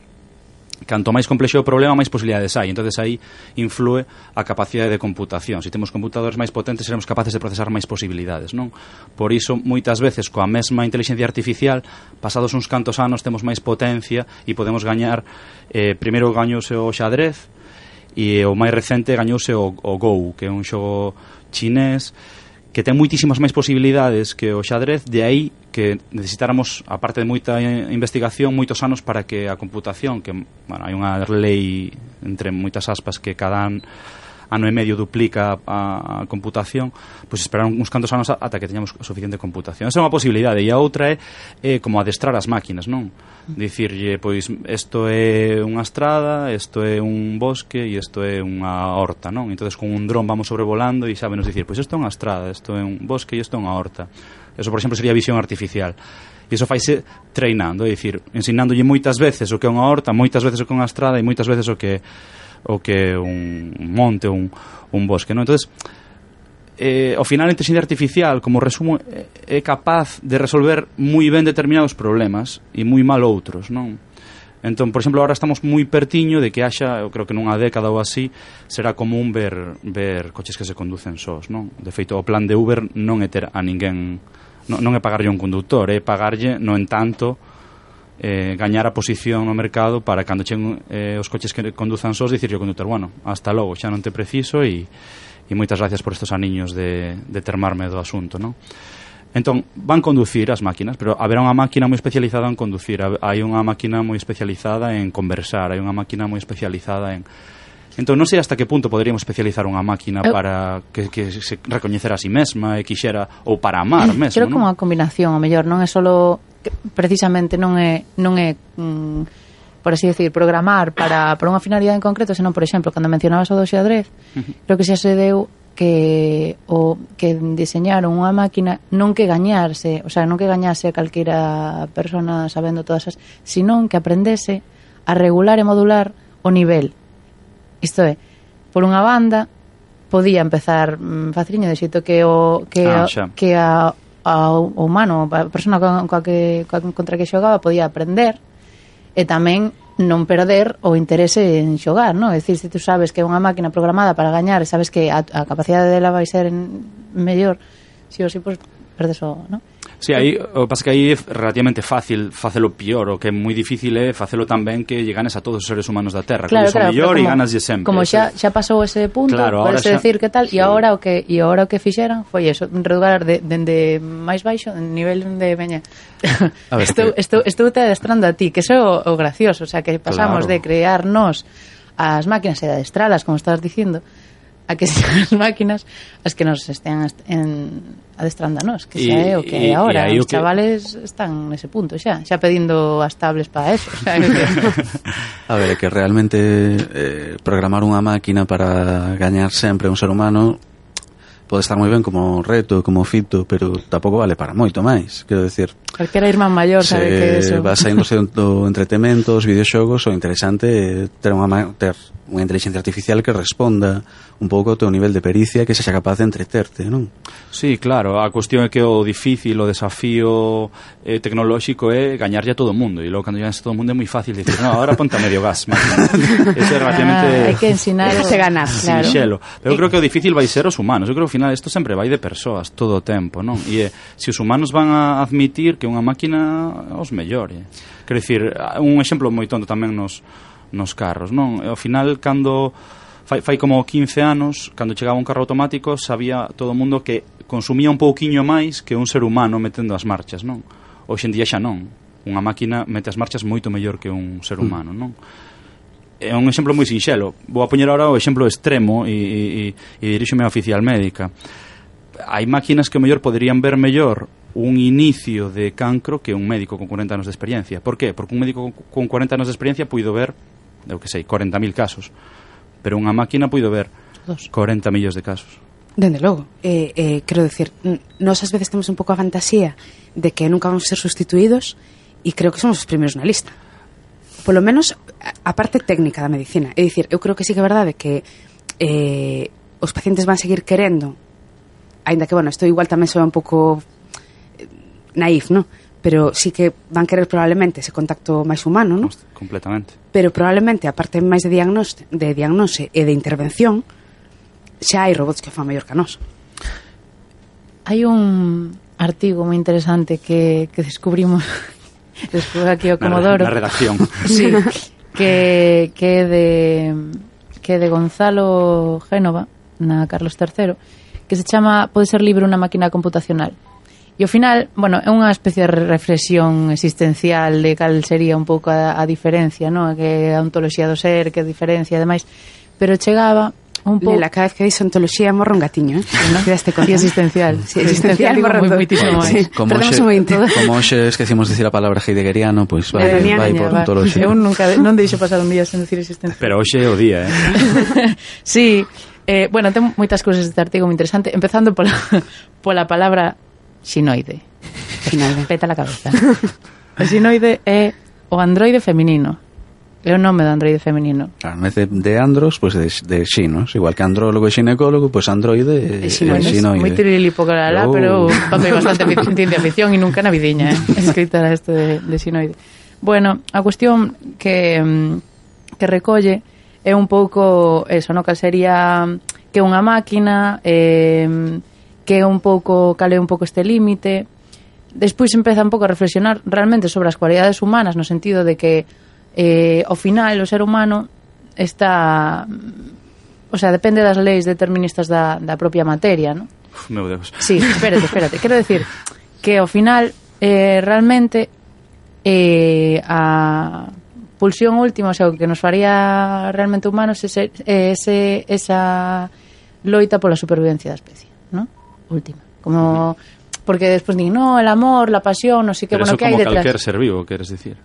canto máis complexo o problema, máis posibilidades hai. Entonces aí influe a capacidade de computación. Se temos computadores máis potentes, seremos capaces de procesar máis posibilidades, non? Por iso, moitas veces, coa mesma inteligencia artificial, pasados uns cantos anos, temos máis potencia e podemos gañar, primeiro gañouse o xadrez, e o máis recente gañouse o Go, que é un xogo chinés, que ten moitísimas máis posibilidades que o xadrez, de aí que necesitáramos, aparte de moita investigación, moitos anos para que a computación, que, bueno, hai unha lei entre moitas aspas que cada ano e medio duplica a computación, pois esperar uns cantos anos ata que teñamos suficiente computación. Esa é unha posibilidade, e a outra é como adestrar as máquinas, non? Dicirlle, pois, isto é unha estrada, isto é un bosque e isto é unha horta, non? Entonces con un dron vamos sobrevolando e sábenos dicir, pois isto é unha estrada, isto é un bosque e isto é unha horta. Eso, por exemplo, sería visión artificial. E iso faise treinando, é dicir, ensinándolle moitas veces o que é unha horta, moitas veces o que é unha estrada e moitas veces o que é un monte ou un bosque, non? Entonces, ao final a inteligencia artificial, como resumo, é capaz de resolver moi ben determinados problemas e moi mal outros, non? Entón, por exemplo, agora estamos moi pertiño de que haxa, eu creo que nunha década ou así, será común ver coches que se conducen sós, non? De feito, o plan de Uber non é ter a ninguén, non é pagarlle un conductor, é pagarlle, no entanto, gañar a posición no mercado para cando cheguen os coches que conduzan sós, dicirlle ao conductor, bueno, hasta logo, xa non te preciso e moitas gracias por estos aniños de termarme do asunto, non? Entón, van conducir as máquinas, pero haberá unha máquina moi especializada en conducir, hai unha máquina moi especializada en conversar, hai unha máquina moi especializada en... Entón, non sei hasta que punto poderíamos especializar unha máquina para que se recoñecera a si mesma e quixera, ou para amar mesmo, creo que unha combinación, o mellor, non é solo... precisamente non é por así decir, programar para unha finalidade en concreto, senón, por exemplo, cando mencionabas o do xadrez, creo que xa se deu que diseñaron unha máquina non que gañarse, o sea, non que gañase a calquera persona sabendo todas as, senón que aprendese a regular e modular o nivel. Isto é, por unha banda podía empezar faciliño de xeito que o humano, a persona contra que xogaba podía aprender e tamén non perder o interese en xogar, non? É dicir, se tú sabes que é unha máquina programada para gañar e sabes que a capacidade dela vai ser mellor, si ou si, pois perdes o, non? Sí, aí, o que pasa que aí é relativamente fácil facelo pior, o que é moi difícil é facelo tamén que lle ganes a todos os seres humanos da Terra, claro, que son mellor e ganaslle sempre. Como xa pasou ese punto, claro, parece decir que tal, e agora o que fixeran foi eso, redugar dende máis baixo, en nivel de veña. Estou te adestrando a ti, que eso é o gracioso, o sea, que pasamos de crearnos as máquinas e de adestralas, como estás dicindo, a que sean as máquinas as que nos estean adestrando a nós, que xa é o que é agora. Os chavales están nese punto xa pedindo as tablets para eso, o sea, a ver, é que realmente programar unha máquina para gañar sempre un ser humano pode estar moi ben como reto, como fito, pero tampouco vale para moito máis. Quero decir, calquera irmán maior sabe que eso. Se vas saíndose do entretemento, os videoxogos, o interesante é ter unha inteligencia artificial que responda un pouco ao teu nivel de pericia, que sexa capaz de entreterte, non? Sí, claro, a cuestión é que o difícil, o desafío tecnolóxico é gañarlle a todo o mundo, e logo cando gañas a todo o mundo é moi fácil dicir, no, ahora ponte a medio gas, eso é relativamente hai que ensinar se ganar, claro. Sinxelo. Pero eu creo que o difícil vai ser os humanos. Eu creo que ao final isto sempre vai de persoas todo o tempo, non? E se os humanos van a admitir que unha máquina os mellore. Quero dicir, un exemplo moi tonto tamén nos carros, non? Ao final, cando fai como 15 anos, cando chegaba un carro automático, sabía todo o mundo que consumía un pouquiño máis que un ser humano metendo as marchas, non? Hoxe en día xa non. Unha máquina mete as marchas moito mellor que un ser humano, non? É un exemplo moi sinxelo. Vou a poñer agora o exemplo extremo e diríxome á oficial médica. Hai máquinas que mellor poderían ver mellor un inicio de cancro que un médico con 40 anos de experiencia. Por qué? Porque un médico con 40 anos de experiencia puido ver, eu que sei, 40.000 casos, pero unha máquina puido ver 40 millóns de casos. Dende logo, quero decir, nós ás veces temos un pouco a fantasía de que nunca vamos a ser sustituídos, e creo que somos os primeiros na lista. Polo menos a parte técnica da medicina. É dicir, eu creo que sí que é verdade que os pacientes van seguir querendo, aínda que, bueno, isto igual tamén soa un pouco naif, non? Pero sí que van querer probablemente ese contacto máis humano, non? Completamente. Pero probablemente a parte máis de diagnose e de intervención, xa hai robots que fan mellor que a nós. Hai un artigo moi interesante que descubrimos despois aquí o Comodoro. Na redacción. Sí, que é de Gonzalo Génova na Carlos III, que se chama Pode ser libre unha máquina computacional. E ao final, bueno, é unha especie de reflexión existencial de cal sería un pouco a diferencia, non? Que a ontoloxía do ser, que a diferencia, ademais, pero chegaba un pouco... Lela, cada vez que dis ontoloxía morre un gatiño, non? Quedaste con existencial. Sí, existencial digo morre moitísimo máis. Sí, perdemos un momento. Como hoxe esquecimos dicir a palabra heideggeriano, pois vai por ontoloxía. Eu non deixo pasar un día sen decir existencial. Pero hoxe é o día, Sí, bueno, ten moitas cousas deste artigo moi interesante, empezando pola palabra xinoide. Peta la cabeza. O xinoide é o androide feminino. É o nome do androide feminino. Claro, en vez de andros, pues de xinos. Igual que andrólogo e xinecólogo, pues androide e xinoide. Moi tirililipo pero papel bastante ciencia ficción e nunca na vidiña, escritora isto de xinoide. Bueno, a cuestión que recolle é un pouco eso, no? Que sería que unha máquina... que é un pouco, cale un pouco este límite. Despois empeza un pouco a reflexionar realmente sobre as cualidades humanas, no sentido de que ao final o ser humano está, o sea, depende das leis deterministas da propia materia, non? Meu Deus. Sí, espérate. Quero decir que ao final realmente a pulsión última, o sea, o que nos faría realmente humanos esa loita pola supervivencia da especie, non? Última, como porque despois din, no, el amor, la pasión, no sé qué, pero bueno, que hai detrás. Pero eso como calquer ser vivo, queres dicir?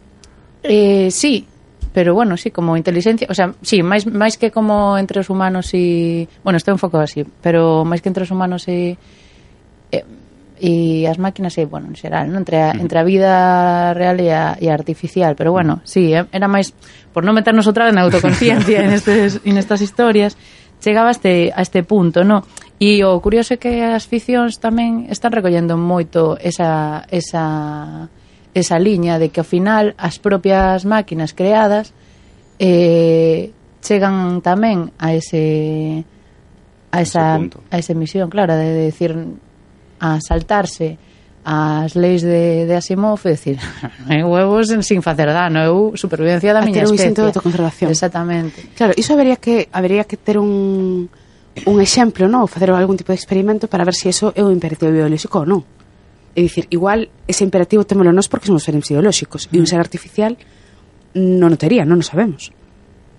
Sí, pero bueno, sí, como inteligencia, o sea, sí, máis que como entre os humanos e, bueno, isto é un foco así, pero máis que entre os humanos e as máquinas, bueno, en xeral, ¿no? Entre a vida real e a artificial, pero bueno, sí, era máis por non meternos outra vez na autoconciencia en estas historias, chegaba a este punto, ¿no? E o curioso é que as ficcións tamén están recollendo moito esa liña de que ao final as propias máquinas creadas chegan tamén a esa misión, claro, de decir, a saltarse as leis de Asimov, é dicir, huevos sin facer dano, eu supervivencia da miña especie. A ter un instinto de autoconservación. Exactamente. Claro, iso habería que ter un exemplo, non? Ou facer algún tipo de experimento para ver se iso é un imperativo biolóxico ou non. É dicir, igual ese imperativo témolo nós porque somos seres biolóxicos e un ser artificial non o tería, non o sabemos.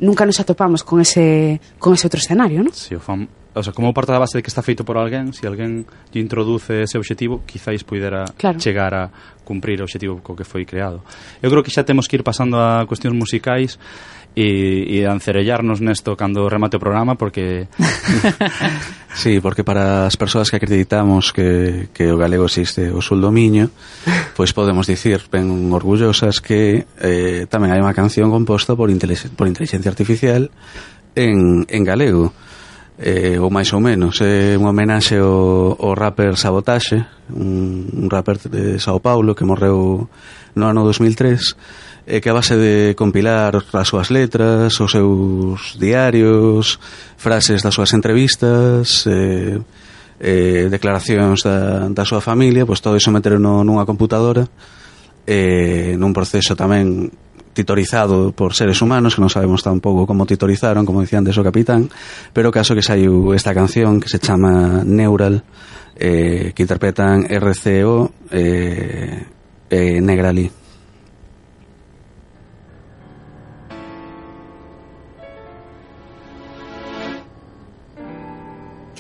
Nunca nos atopamos con ese outro escenario, non? Si, o sea, como parte da base de que está feito por alguén, se alguén lle introduce ese obxectivo, quizáis puidera chegar a cumprir o obxectivo co que foi creado. Eu creo que xa temos que ir pasando a cuestións musicais e ancerellarnos nesto cando remate o programa, porque sí, porque para as persoas que acreditamos que o galego existe o sul do Miño, pois podemos dicir ben orgullosas que tamén hai unha canción composta por inteligencia artificial en galego, ou máis ou menos é unha homenaxe ao rapper Sabotaxe, un rapper de Sao Paulo que morreu no ano 2003, que a base de compilar as súas letras, os seus diarios, frases das súas entrevistas, declaracións da súa familia, pois todo iso meteron nunha computadora, nun proceso tamén titorizado por seres humanos, que non sabemos tampouco como titorizaron, como dicía antes o capitán, pero o caso que saiu esta canción que se chama Neural, que interpretan RCO Negrali.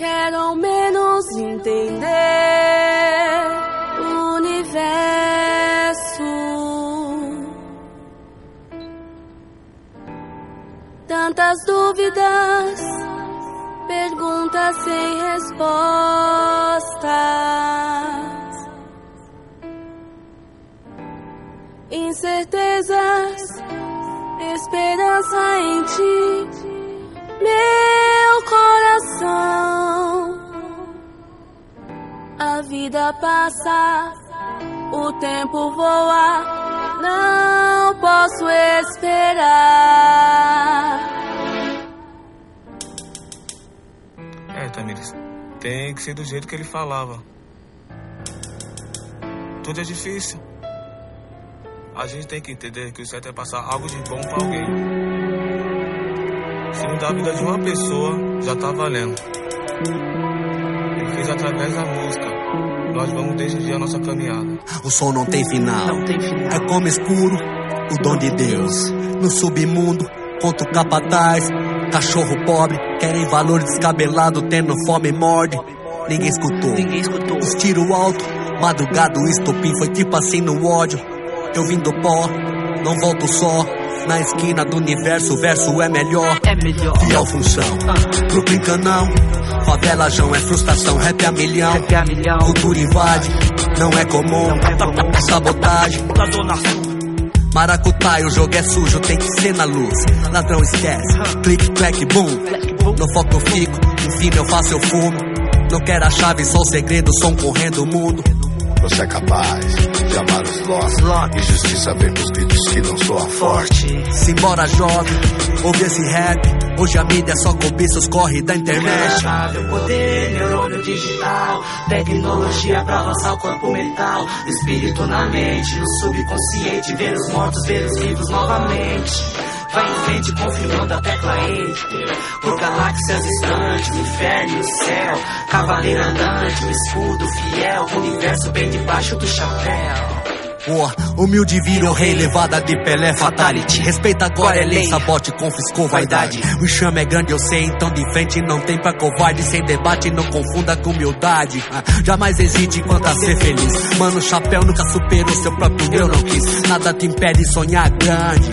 Quero ao menos entender o universo. Tantas dúvidas, perguntas sem respostas, incertezas, esperança em ti, meu coração. A vida passa o tempo voa, não posso esperar. Tamires, tem que ser do jeito que ele falava. Tudo é difícil. A gente tem que entender que o certo é passar algo de bom pra alguém. Se mudar a vida de uma pessoa, já tá valendo. Ele fez através da música. Nós vamos decidir a nossa caminhada. O sol não tem final. É como escuro, o dom de Deus. No submundo, contra o capataz. Cachorro pobre, querem valor descabelado, tendo fome morde. Ninguém escutou. Os tiros alto, madrugada o estopim foi tipo assim no ódio. Eu vim do pó, não volto só. Na esquina do universo, o verso é melhor. Fiel função, Brooklyn canão. Favela João é frustração, rap a milhão. Cultura invade, não é comum. É sabotagem. Maracutaia, o jogo é sujo, tem que ser na luz. Ladrão esquece, clique, clack, boom. No foco eu fico, enfim eu faço, eu fumo. Não quero a chave, só o segredo, som correndo o mundo. Você é capaz de amar os nossos. Injustiça vem pros gritos que não soa forte. Simbora jovem, ouve esse rap. Hoje a mídia só cobiça os corre da internet. O poder, neurônio digital. Tecnologia pra avançar o corpo mental. Espírito na mente, no subconsciente. Ver os mortos, ver os vivos novamente. Vai em frente confirmando a tecla Enter. Por galáxias distantes, o inferno e o céu. Cavaleiro andante, um escudo fiel. O universo bem debaixo do chapéu. Humilde virou rei, levada de Pelé, fatality. Respeita agora, é lei, sabote, confiscou vaidade. O enxame é grande, eu sei, então de frente não tem pra covarde. Sem debate, não confunda com humildade. Jamais hesite enquanto a ser feliz. Mano, o chapéu nunca superou seu próprio eu não quis. Nada te impede de sonhar grande.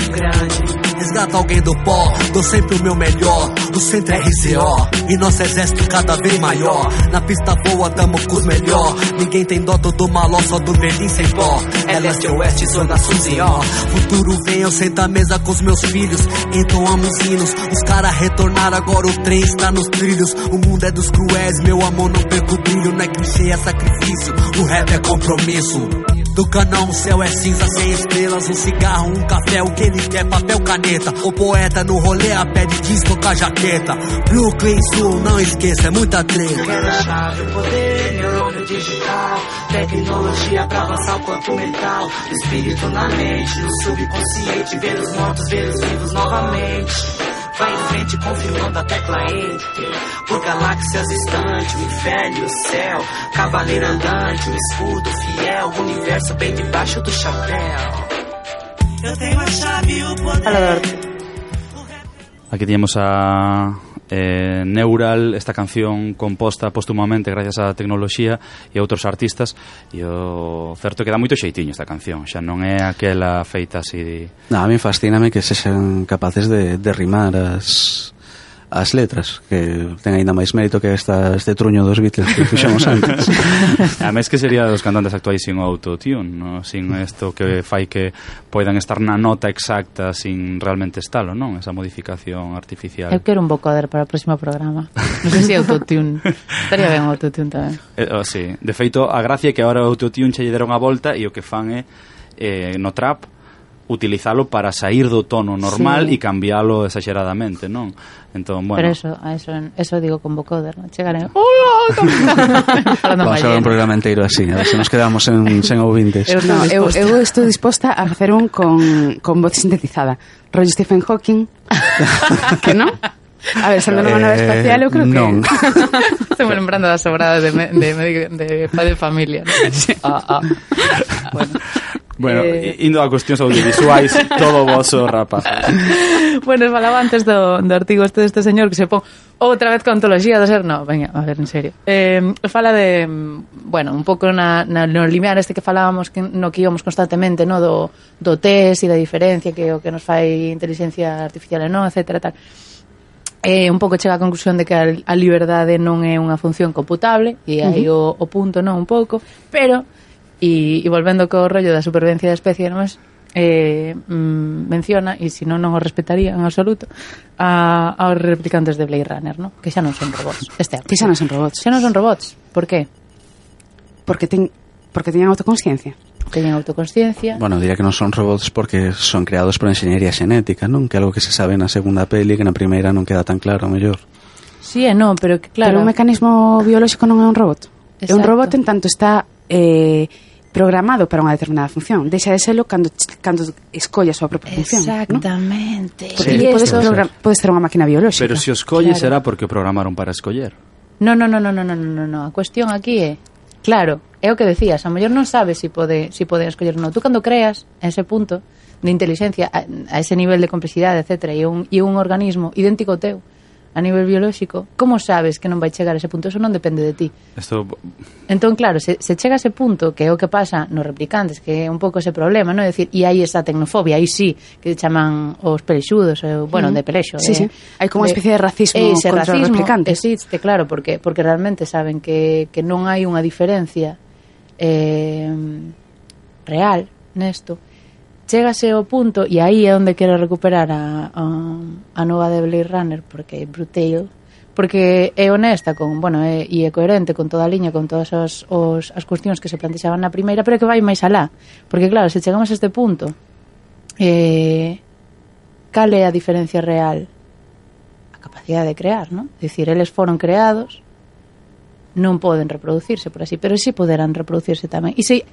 Resgata alguém do pó, dou sempre o meu melhor. O centro é RCO, e nosso exército cada vez maior. Na pista boa, tamo com os melhor. Ninguém tem dó, todo maló, só do velhinho sem pó. É leste, oeste, zona Suzy, ó. Futuro vem, eu sento à mesa com os meus filhos. Entoamos hinos, os caras retornaram, agora o trem está nos trilhos. O mundo é dos cruéis, meu amor, não perco o brilho. Não é clichê, é sacrifício, o rap é compromisso. Do canão o céu é cinza sem estrelas. Um cigarro, um café, o que ele quer, papel, caneta. O poeta no rolê a pé de disco com a jaqueta. Brooklyn Sul, não esqueça, é muita treta. Quero a chave, o poder, neurônio digital. Tecnologia pra avançar o corpo mental. Espírito na mente, no subconsciente. Ver os mortos, ver os vivos novamente. Vai em frente confirmando a tecla Enter. Por galáxias distantes, o inferno e o céu. Cavaleiro andante, um escudo fiel. O universo bem debaixo do chapéu. Eu tenho a chave, o poder. Aquí teníamos a Neural, esta canción composta póstumamente gracias á tecnoloxía e a outros artistas, e o certo que dá moito xeitiño esta canción, xa non é aquela feita así. A mí fascíname que sexan capaces de rimar as letras, que ten aínda máis mérito que este truño dos Beatles que fixemos antes. A mes que sería dos cantantes actuais sin autotune, no? Sin isto que fai que poidan estar na nota exacta sin realmente estalo, non? Esa modificación artificial. Eu quero un vocoder para o próximo programa. Non sei se autotune. Estaría ben autotune tamén. Sí. De feito, a gracia é que agora o autotune che lle deron a volta e o que fan é no trap utilizalo para sair do tono normal e cambialo exageradamente, non? Entón, bueno. Pero eso digo con vocoder, non? Chegaré. Vamos a hacer un programa inteiro así, a ver se nos quedamos sen ouvintes. Eu estou disposta a facer un con voz sintetizada. Rollo Stephen Hawking. Que non? A ver, sendo nunha nave espacial, eu creo que non. Estou lembrando das sobradas de Padre de Familia, non? Bueno, indo a cuestións audiovisuais, todo voso, rapaz. Bueno, falaba antes do artigo este deste señor que se pon outra vez con ontoloxía do ser. No, venga, a ver, en serio. Fala de, bueno, un pouco no limiar este que falábamos no que íbamos constantemente, no do test e da diferencia que o que nos fai inteligencia artificial e non, etcétera, tal. Un pouco chega a conclusión de que a liberdade non é unha función computable, e aí o punto, non, un pouco, pero e volvendo co rollo da supervivencia da especie, non é? Menciona, e se non o respetaría en absoluto, aos replicantes de Blade Runner, non? Que xa non son robots. Que xa non son robots. Xa non son robots. Por qué? Porque teñen autoconsciencia. teñen autoconsciencia. Bueno, diría que non son robots porque son creados por enxeñería xenética, non? Que é algo que se sabe na segunda peli, que na primeira non queda tan claro, mellor. Sí e non, pero que claro... Pero un mecanismo biolóxico non é un robot. É un robot en tanto está programado para unha determinada función. Deixa de serlo cando escolla a súa propia función. Exactamente. ¿no? Porque podes ter unha máquina biolóxica. Pero se o escolle será porque o programaron para escoller. No. A cuestión aquí é, claro, é o que decías, a mellor non sabes se pode escoller ou non. Tú cando creas ese punto de inteligencia a ese nivel de complexidade, etcétera, e un organismo idéntico ao teu a nivel biolóxico, como sabes que non vai chegar a ese punto? Eso non depende de ti. Entón, claro, se chega a ese punto, que é o que pasa nos replicantes, que é un pouco ese problema, non? É dicir, e hai esa tecnofobia, aí sí, que chaman os pelexudos, bueno, de pelexo. Sí. Hai como unha especie de racismo contra os replicantes. Existe, claro, porque realmente saben que non hai unha diferencia real nesto. Chégase ao punto, e aí é onde quero recuperar a nova de Blade Runner, porque é brutal, porque é honesta e é coherente con toda a liña, con todas as cuestións que se plantexaban na primeira, pero que vai máis alá, porque claro, se chegamos a este punto, cal é a diferencia real? A capacidade de crear, non? É dicir, eles foron creados, non poden reproducirse, por así, pero sí poderán reproducirse tamén. E se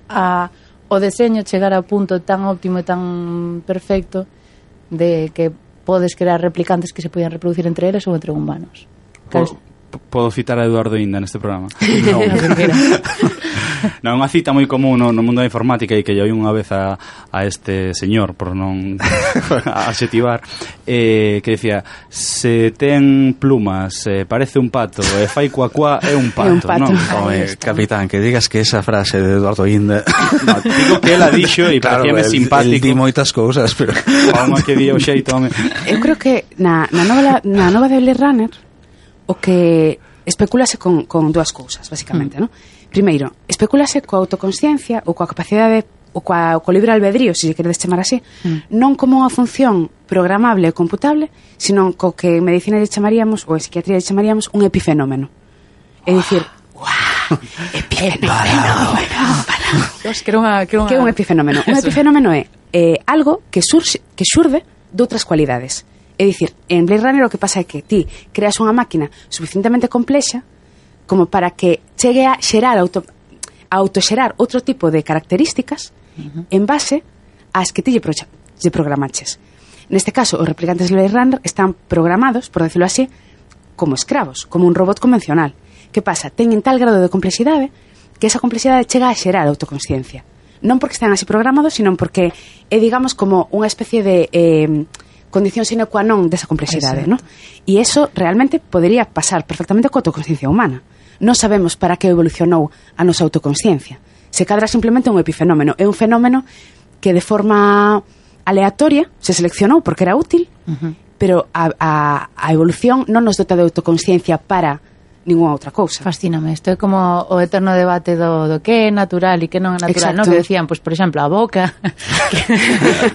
o deseño chegar ao punto tan óptimo e tan perfecto de que podes crear replicantes que se poden reproducir entre eles ou entre humanos. Podo citar a Eduardo Inda neste programa? Non, unha cita moi común no mundo da informática e que lle oí unha vez a este señor, por non adxetivar, que decía, se ten plumas, parece un pato, e fai cuacuá, é un pato, non? Capitán, que digas que esa frase de Eduardo Inda... No, digo que ela dixo e claro, parecíame simpático. El di moitas cousas, pero... Palma que di o xeito, home. Eu creo que na nova de Blade Runner o que especulase con dúas cousas, basicamente, non? Primeiro, especulase coa autoconsciencia ou coa capacidade ou co libre albedrío, se queredes chamar así, non como unha función programable e computable, sino co que en medicina lle chamaríamos, ou en psiquiatría lle chamaríamos, un epifenómeno. É dicir, epifenómeno. Que é un epifenómeno? Un epifenómeno é algo que xurde doutras cualidades. É dicir, en Blade Runner o que pasa é que ti creas unha máquina suficientemente complexa como para que chegue a xerar autoxerar outro tipo de características en base ás que ti lle programaches. Neste caso, os replicantes de Blade Runner están programados, por decirlo así, como escravos, como un robot convencional. Que pasa? Teñen tal grado de complexidade que esa complexidade chega a xerar autoconsciencia. Non porque están así programados, sino porque é, digamos, como unha especie de condición sine qua non desa complexidade, ¿no? E iso realmente podería pasar perfectamente coa autoconsciencia humana. Non sabemos para que evolucionou a nosa autoconsciencia. Se cadra simplemente un epifenómeno. É un fenómeno que de forma aleatoria se seleccionou porque era útil, pero a evolución non nos dota de autoconsciencia para ninguna outra cousa. Fascíname, isto é como o eterno debate do que é natural e que non é natural, non? Que decían, pois, por exemplo, a boca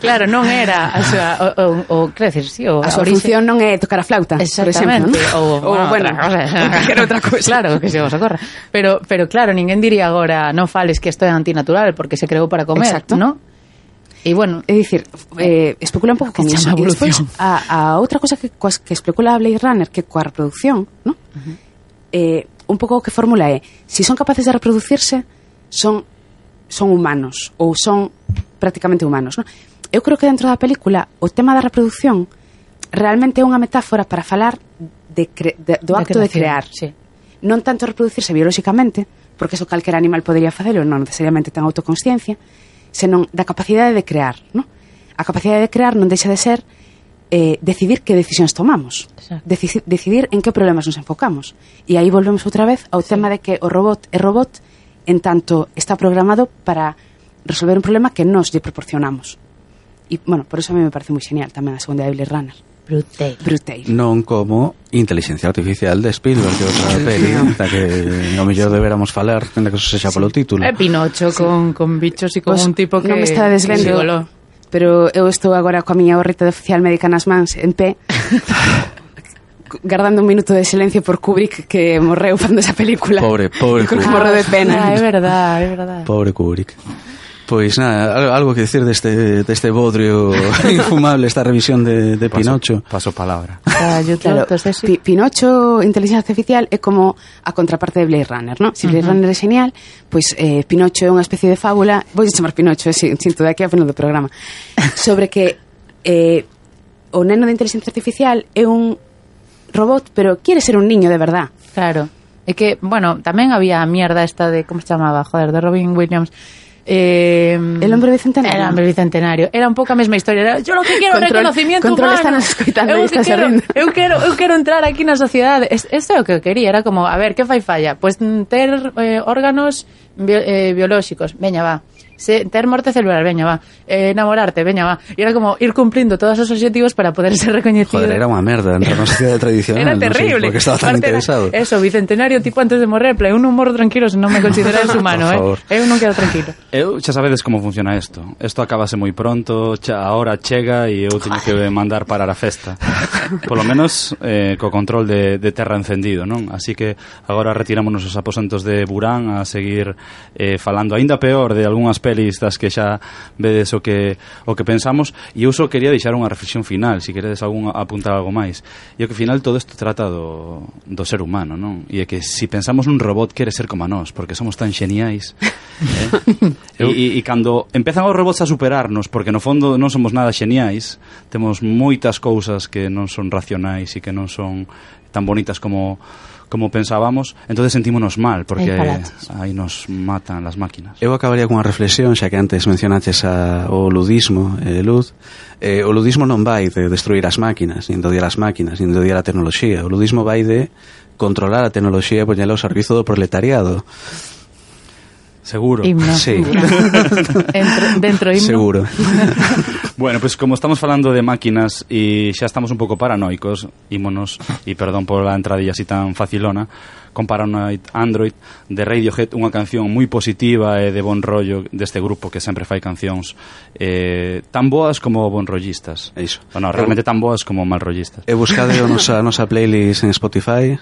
claro, non era a súa o crecer, sí, a súa función non é tocar a flauta, exactamente, por exemplo, ou bueno, cualquier outra cousa. Claro, que se vos ocorra. Pero claro, ninguén diría agora non fales que isto é antinatural porque se creou para comer, non? E bueno, é dicir, especula un pouco con iso. E despois, a outra cosa que especula Blade Runner, que coa reproducción, non? Un pouco o que formula é, se son capaces de reproducirse, son humanos ou son prácticamente humanos, non? Eu creo que dentro da película o tema da reproducción realmente é unha metáfora para falar do acto de crear, sí. Non tanto reproducirse biolóxicamente, porque eso calquera animal podería facelo, non necesariamente ten autoconsciencia, senón da capacidade de crear, non? A capacidade de crear non deixa de ser decidir que decisións tomamos, decidir en que problemas nos enfocamos. E aí volvemos outra vez ao tema de que o robot é robot en tanto está programado para resolver un problema que nos lle proporcionamos. E, bueno, por eso a mí me parece moi genial tamén a segunda de Blade Runner. Brutal. Non como Inteligencia Artificial de Spielberg, que outra peli da que ao mellor deberamos falar, tenda que eso sexa polo título. É Pinocho con bichos e con un tipo que non me está desvendo. Pero eu estou agora coa miña gorrita de oficial médica nas mans en pé guardando un minuto de silencio por Kubrick, que morreu fando esa película. Pobre Kubrick. Kubrick. Morreu de pena. É verdad. Pobre Kubrick. Pois nada, algo que decir deste bodrio infumable, esta revisión de Pinocho. Paso palabra. Claro, Pinocho, inteligencia artificial, é como a contraparte de Blade Runner, ¿no? Si Blade Runner é genial, pois Pinocho é unha especie de fábula, vou chamar Pinocho, sinto de aquí a final do programa, sobre que o neno de inteligencia artificial é un robot, pero quiere ser un niño de verdad. Claro. É que, bueno, tamén había a mierda esta de, como se chamaba, joder, de Robin Williams, el hombre bicentenario. Era hombre bicentenario. Era un pouco a mesma historia. Era, yo lo que quiero é reconocimiento humano. Eu quero entrar aquí na sociedade. Eso é o que eu quería. Era como, a ver, que fai falla? Pois ter órganos biolóxicos. Veña, va. Ter morte celular, veña, va. Enamorarte, veña, va. E era como ir cumplindo todos os objetivos para poder ser reconhecido. Joder, era unha merda entrar na sociedade tradicional. Era terrible. No sei, porque estaba tan interesado. Eso, bicentenario, tipo antes de morrer, play, un humor tranquilo se non me consideras humano, Eu non quedo tranquilo. Eu xa sabedes como funciona isto. Isto acabase moi pronto, a hora chega e eu teño que mandar parar a festa. Polo menos co control de terra encendido, non? Así que agora retirámonos os aposentos de Burán a seguir falando aínda peor de algunhas pelis das que xa vedes o que pensamos, e eu só quería deixar unha reflexión final, se queredes apuntar algo máis. E o que final todo isto trata do ser humano, non? E é que se pensamos nun robot quere ser como a nós, porque somos tan xeniais, e cando empezan os robots a superarnos, porque no fondo non somos nada xeniais, temos moitas cousas que non son racionais e que non son tan bonitas como pensábamos, entonces sentímonos mal porque aí nos matan las máquinas. Eu acabaría con unha reflexión, xa que antes mencionaches o ludismo, Luz. O ludismo non vai de destruir as máquinas, nin de odiar as máquinas, nin de odiar a tecnoloxía. O ludismo vai de controlar a tecnoloxía e poñela ao servizo do proletariado. Seguro. Himno. Sí. Dentro himno. Seguro. Bueno, pues como estamos falando de máquinas e xa estamos un pouco paranoicos, ímonos, e perdón por la entradilla así tan facilona, con Paranoid Android de Radiohead, unha canción moi positiva e de bon rollo deste grupo que sempre fai cancións tan boas como bonrollistas. Iso. Bueno, realmente tan boas como malrollistas. E buscade a nosa playlist en Spotify,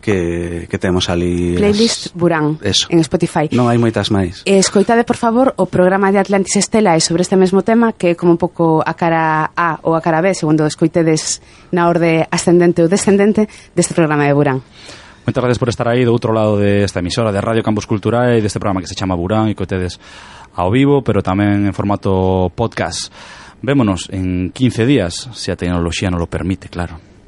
que temos ali playlist Burán en Spotify. Non hai moitas máis. Escoitade, por favor, o programa de Atlantis Estela e sobre este mesmo tema, que é como un pouco a cara A ou a cara B, segundo escoitedes na orde ascendente ou descendente deste programa de Burán. Moitas gracias por estar aí do outro lado desta emisora de Radio Campus Culturae e deste programa que se chama Burán e que tedes ao vivo, pero tamén en formato podcast. Vémonos en 15 días, se a tecnoloxía non lo permite, claro.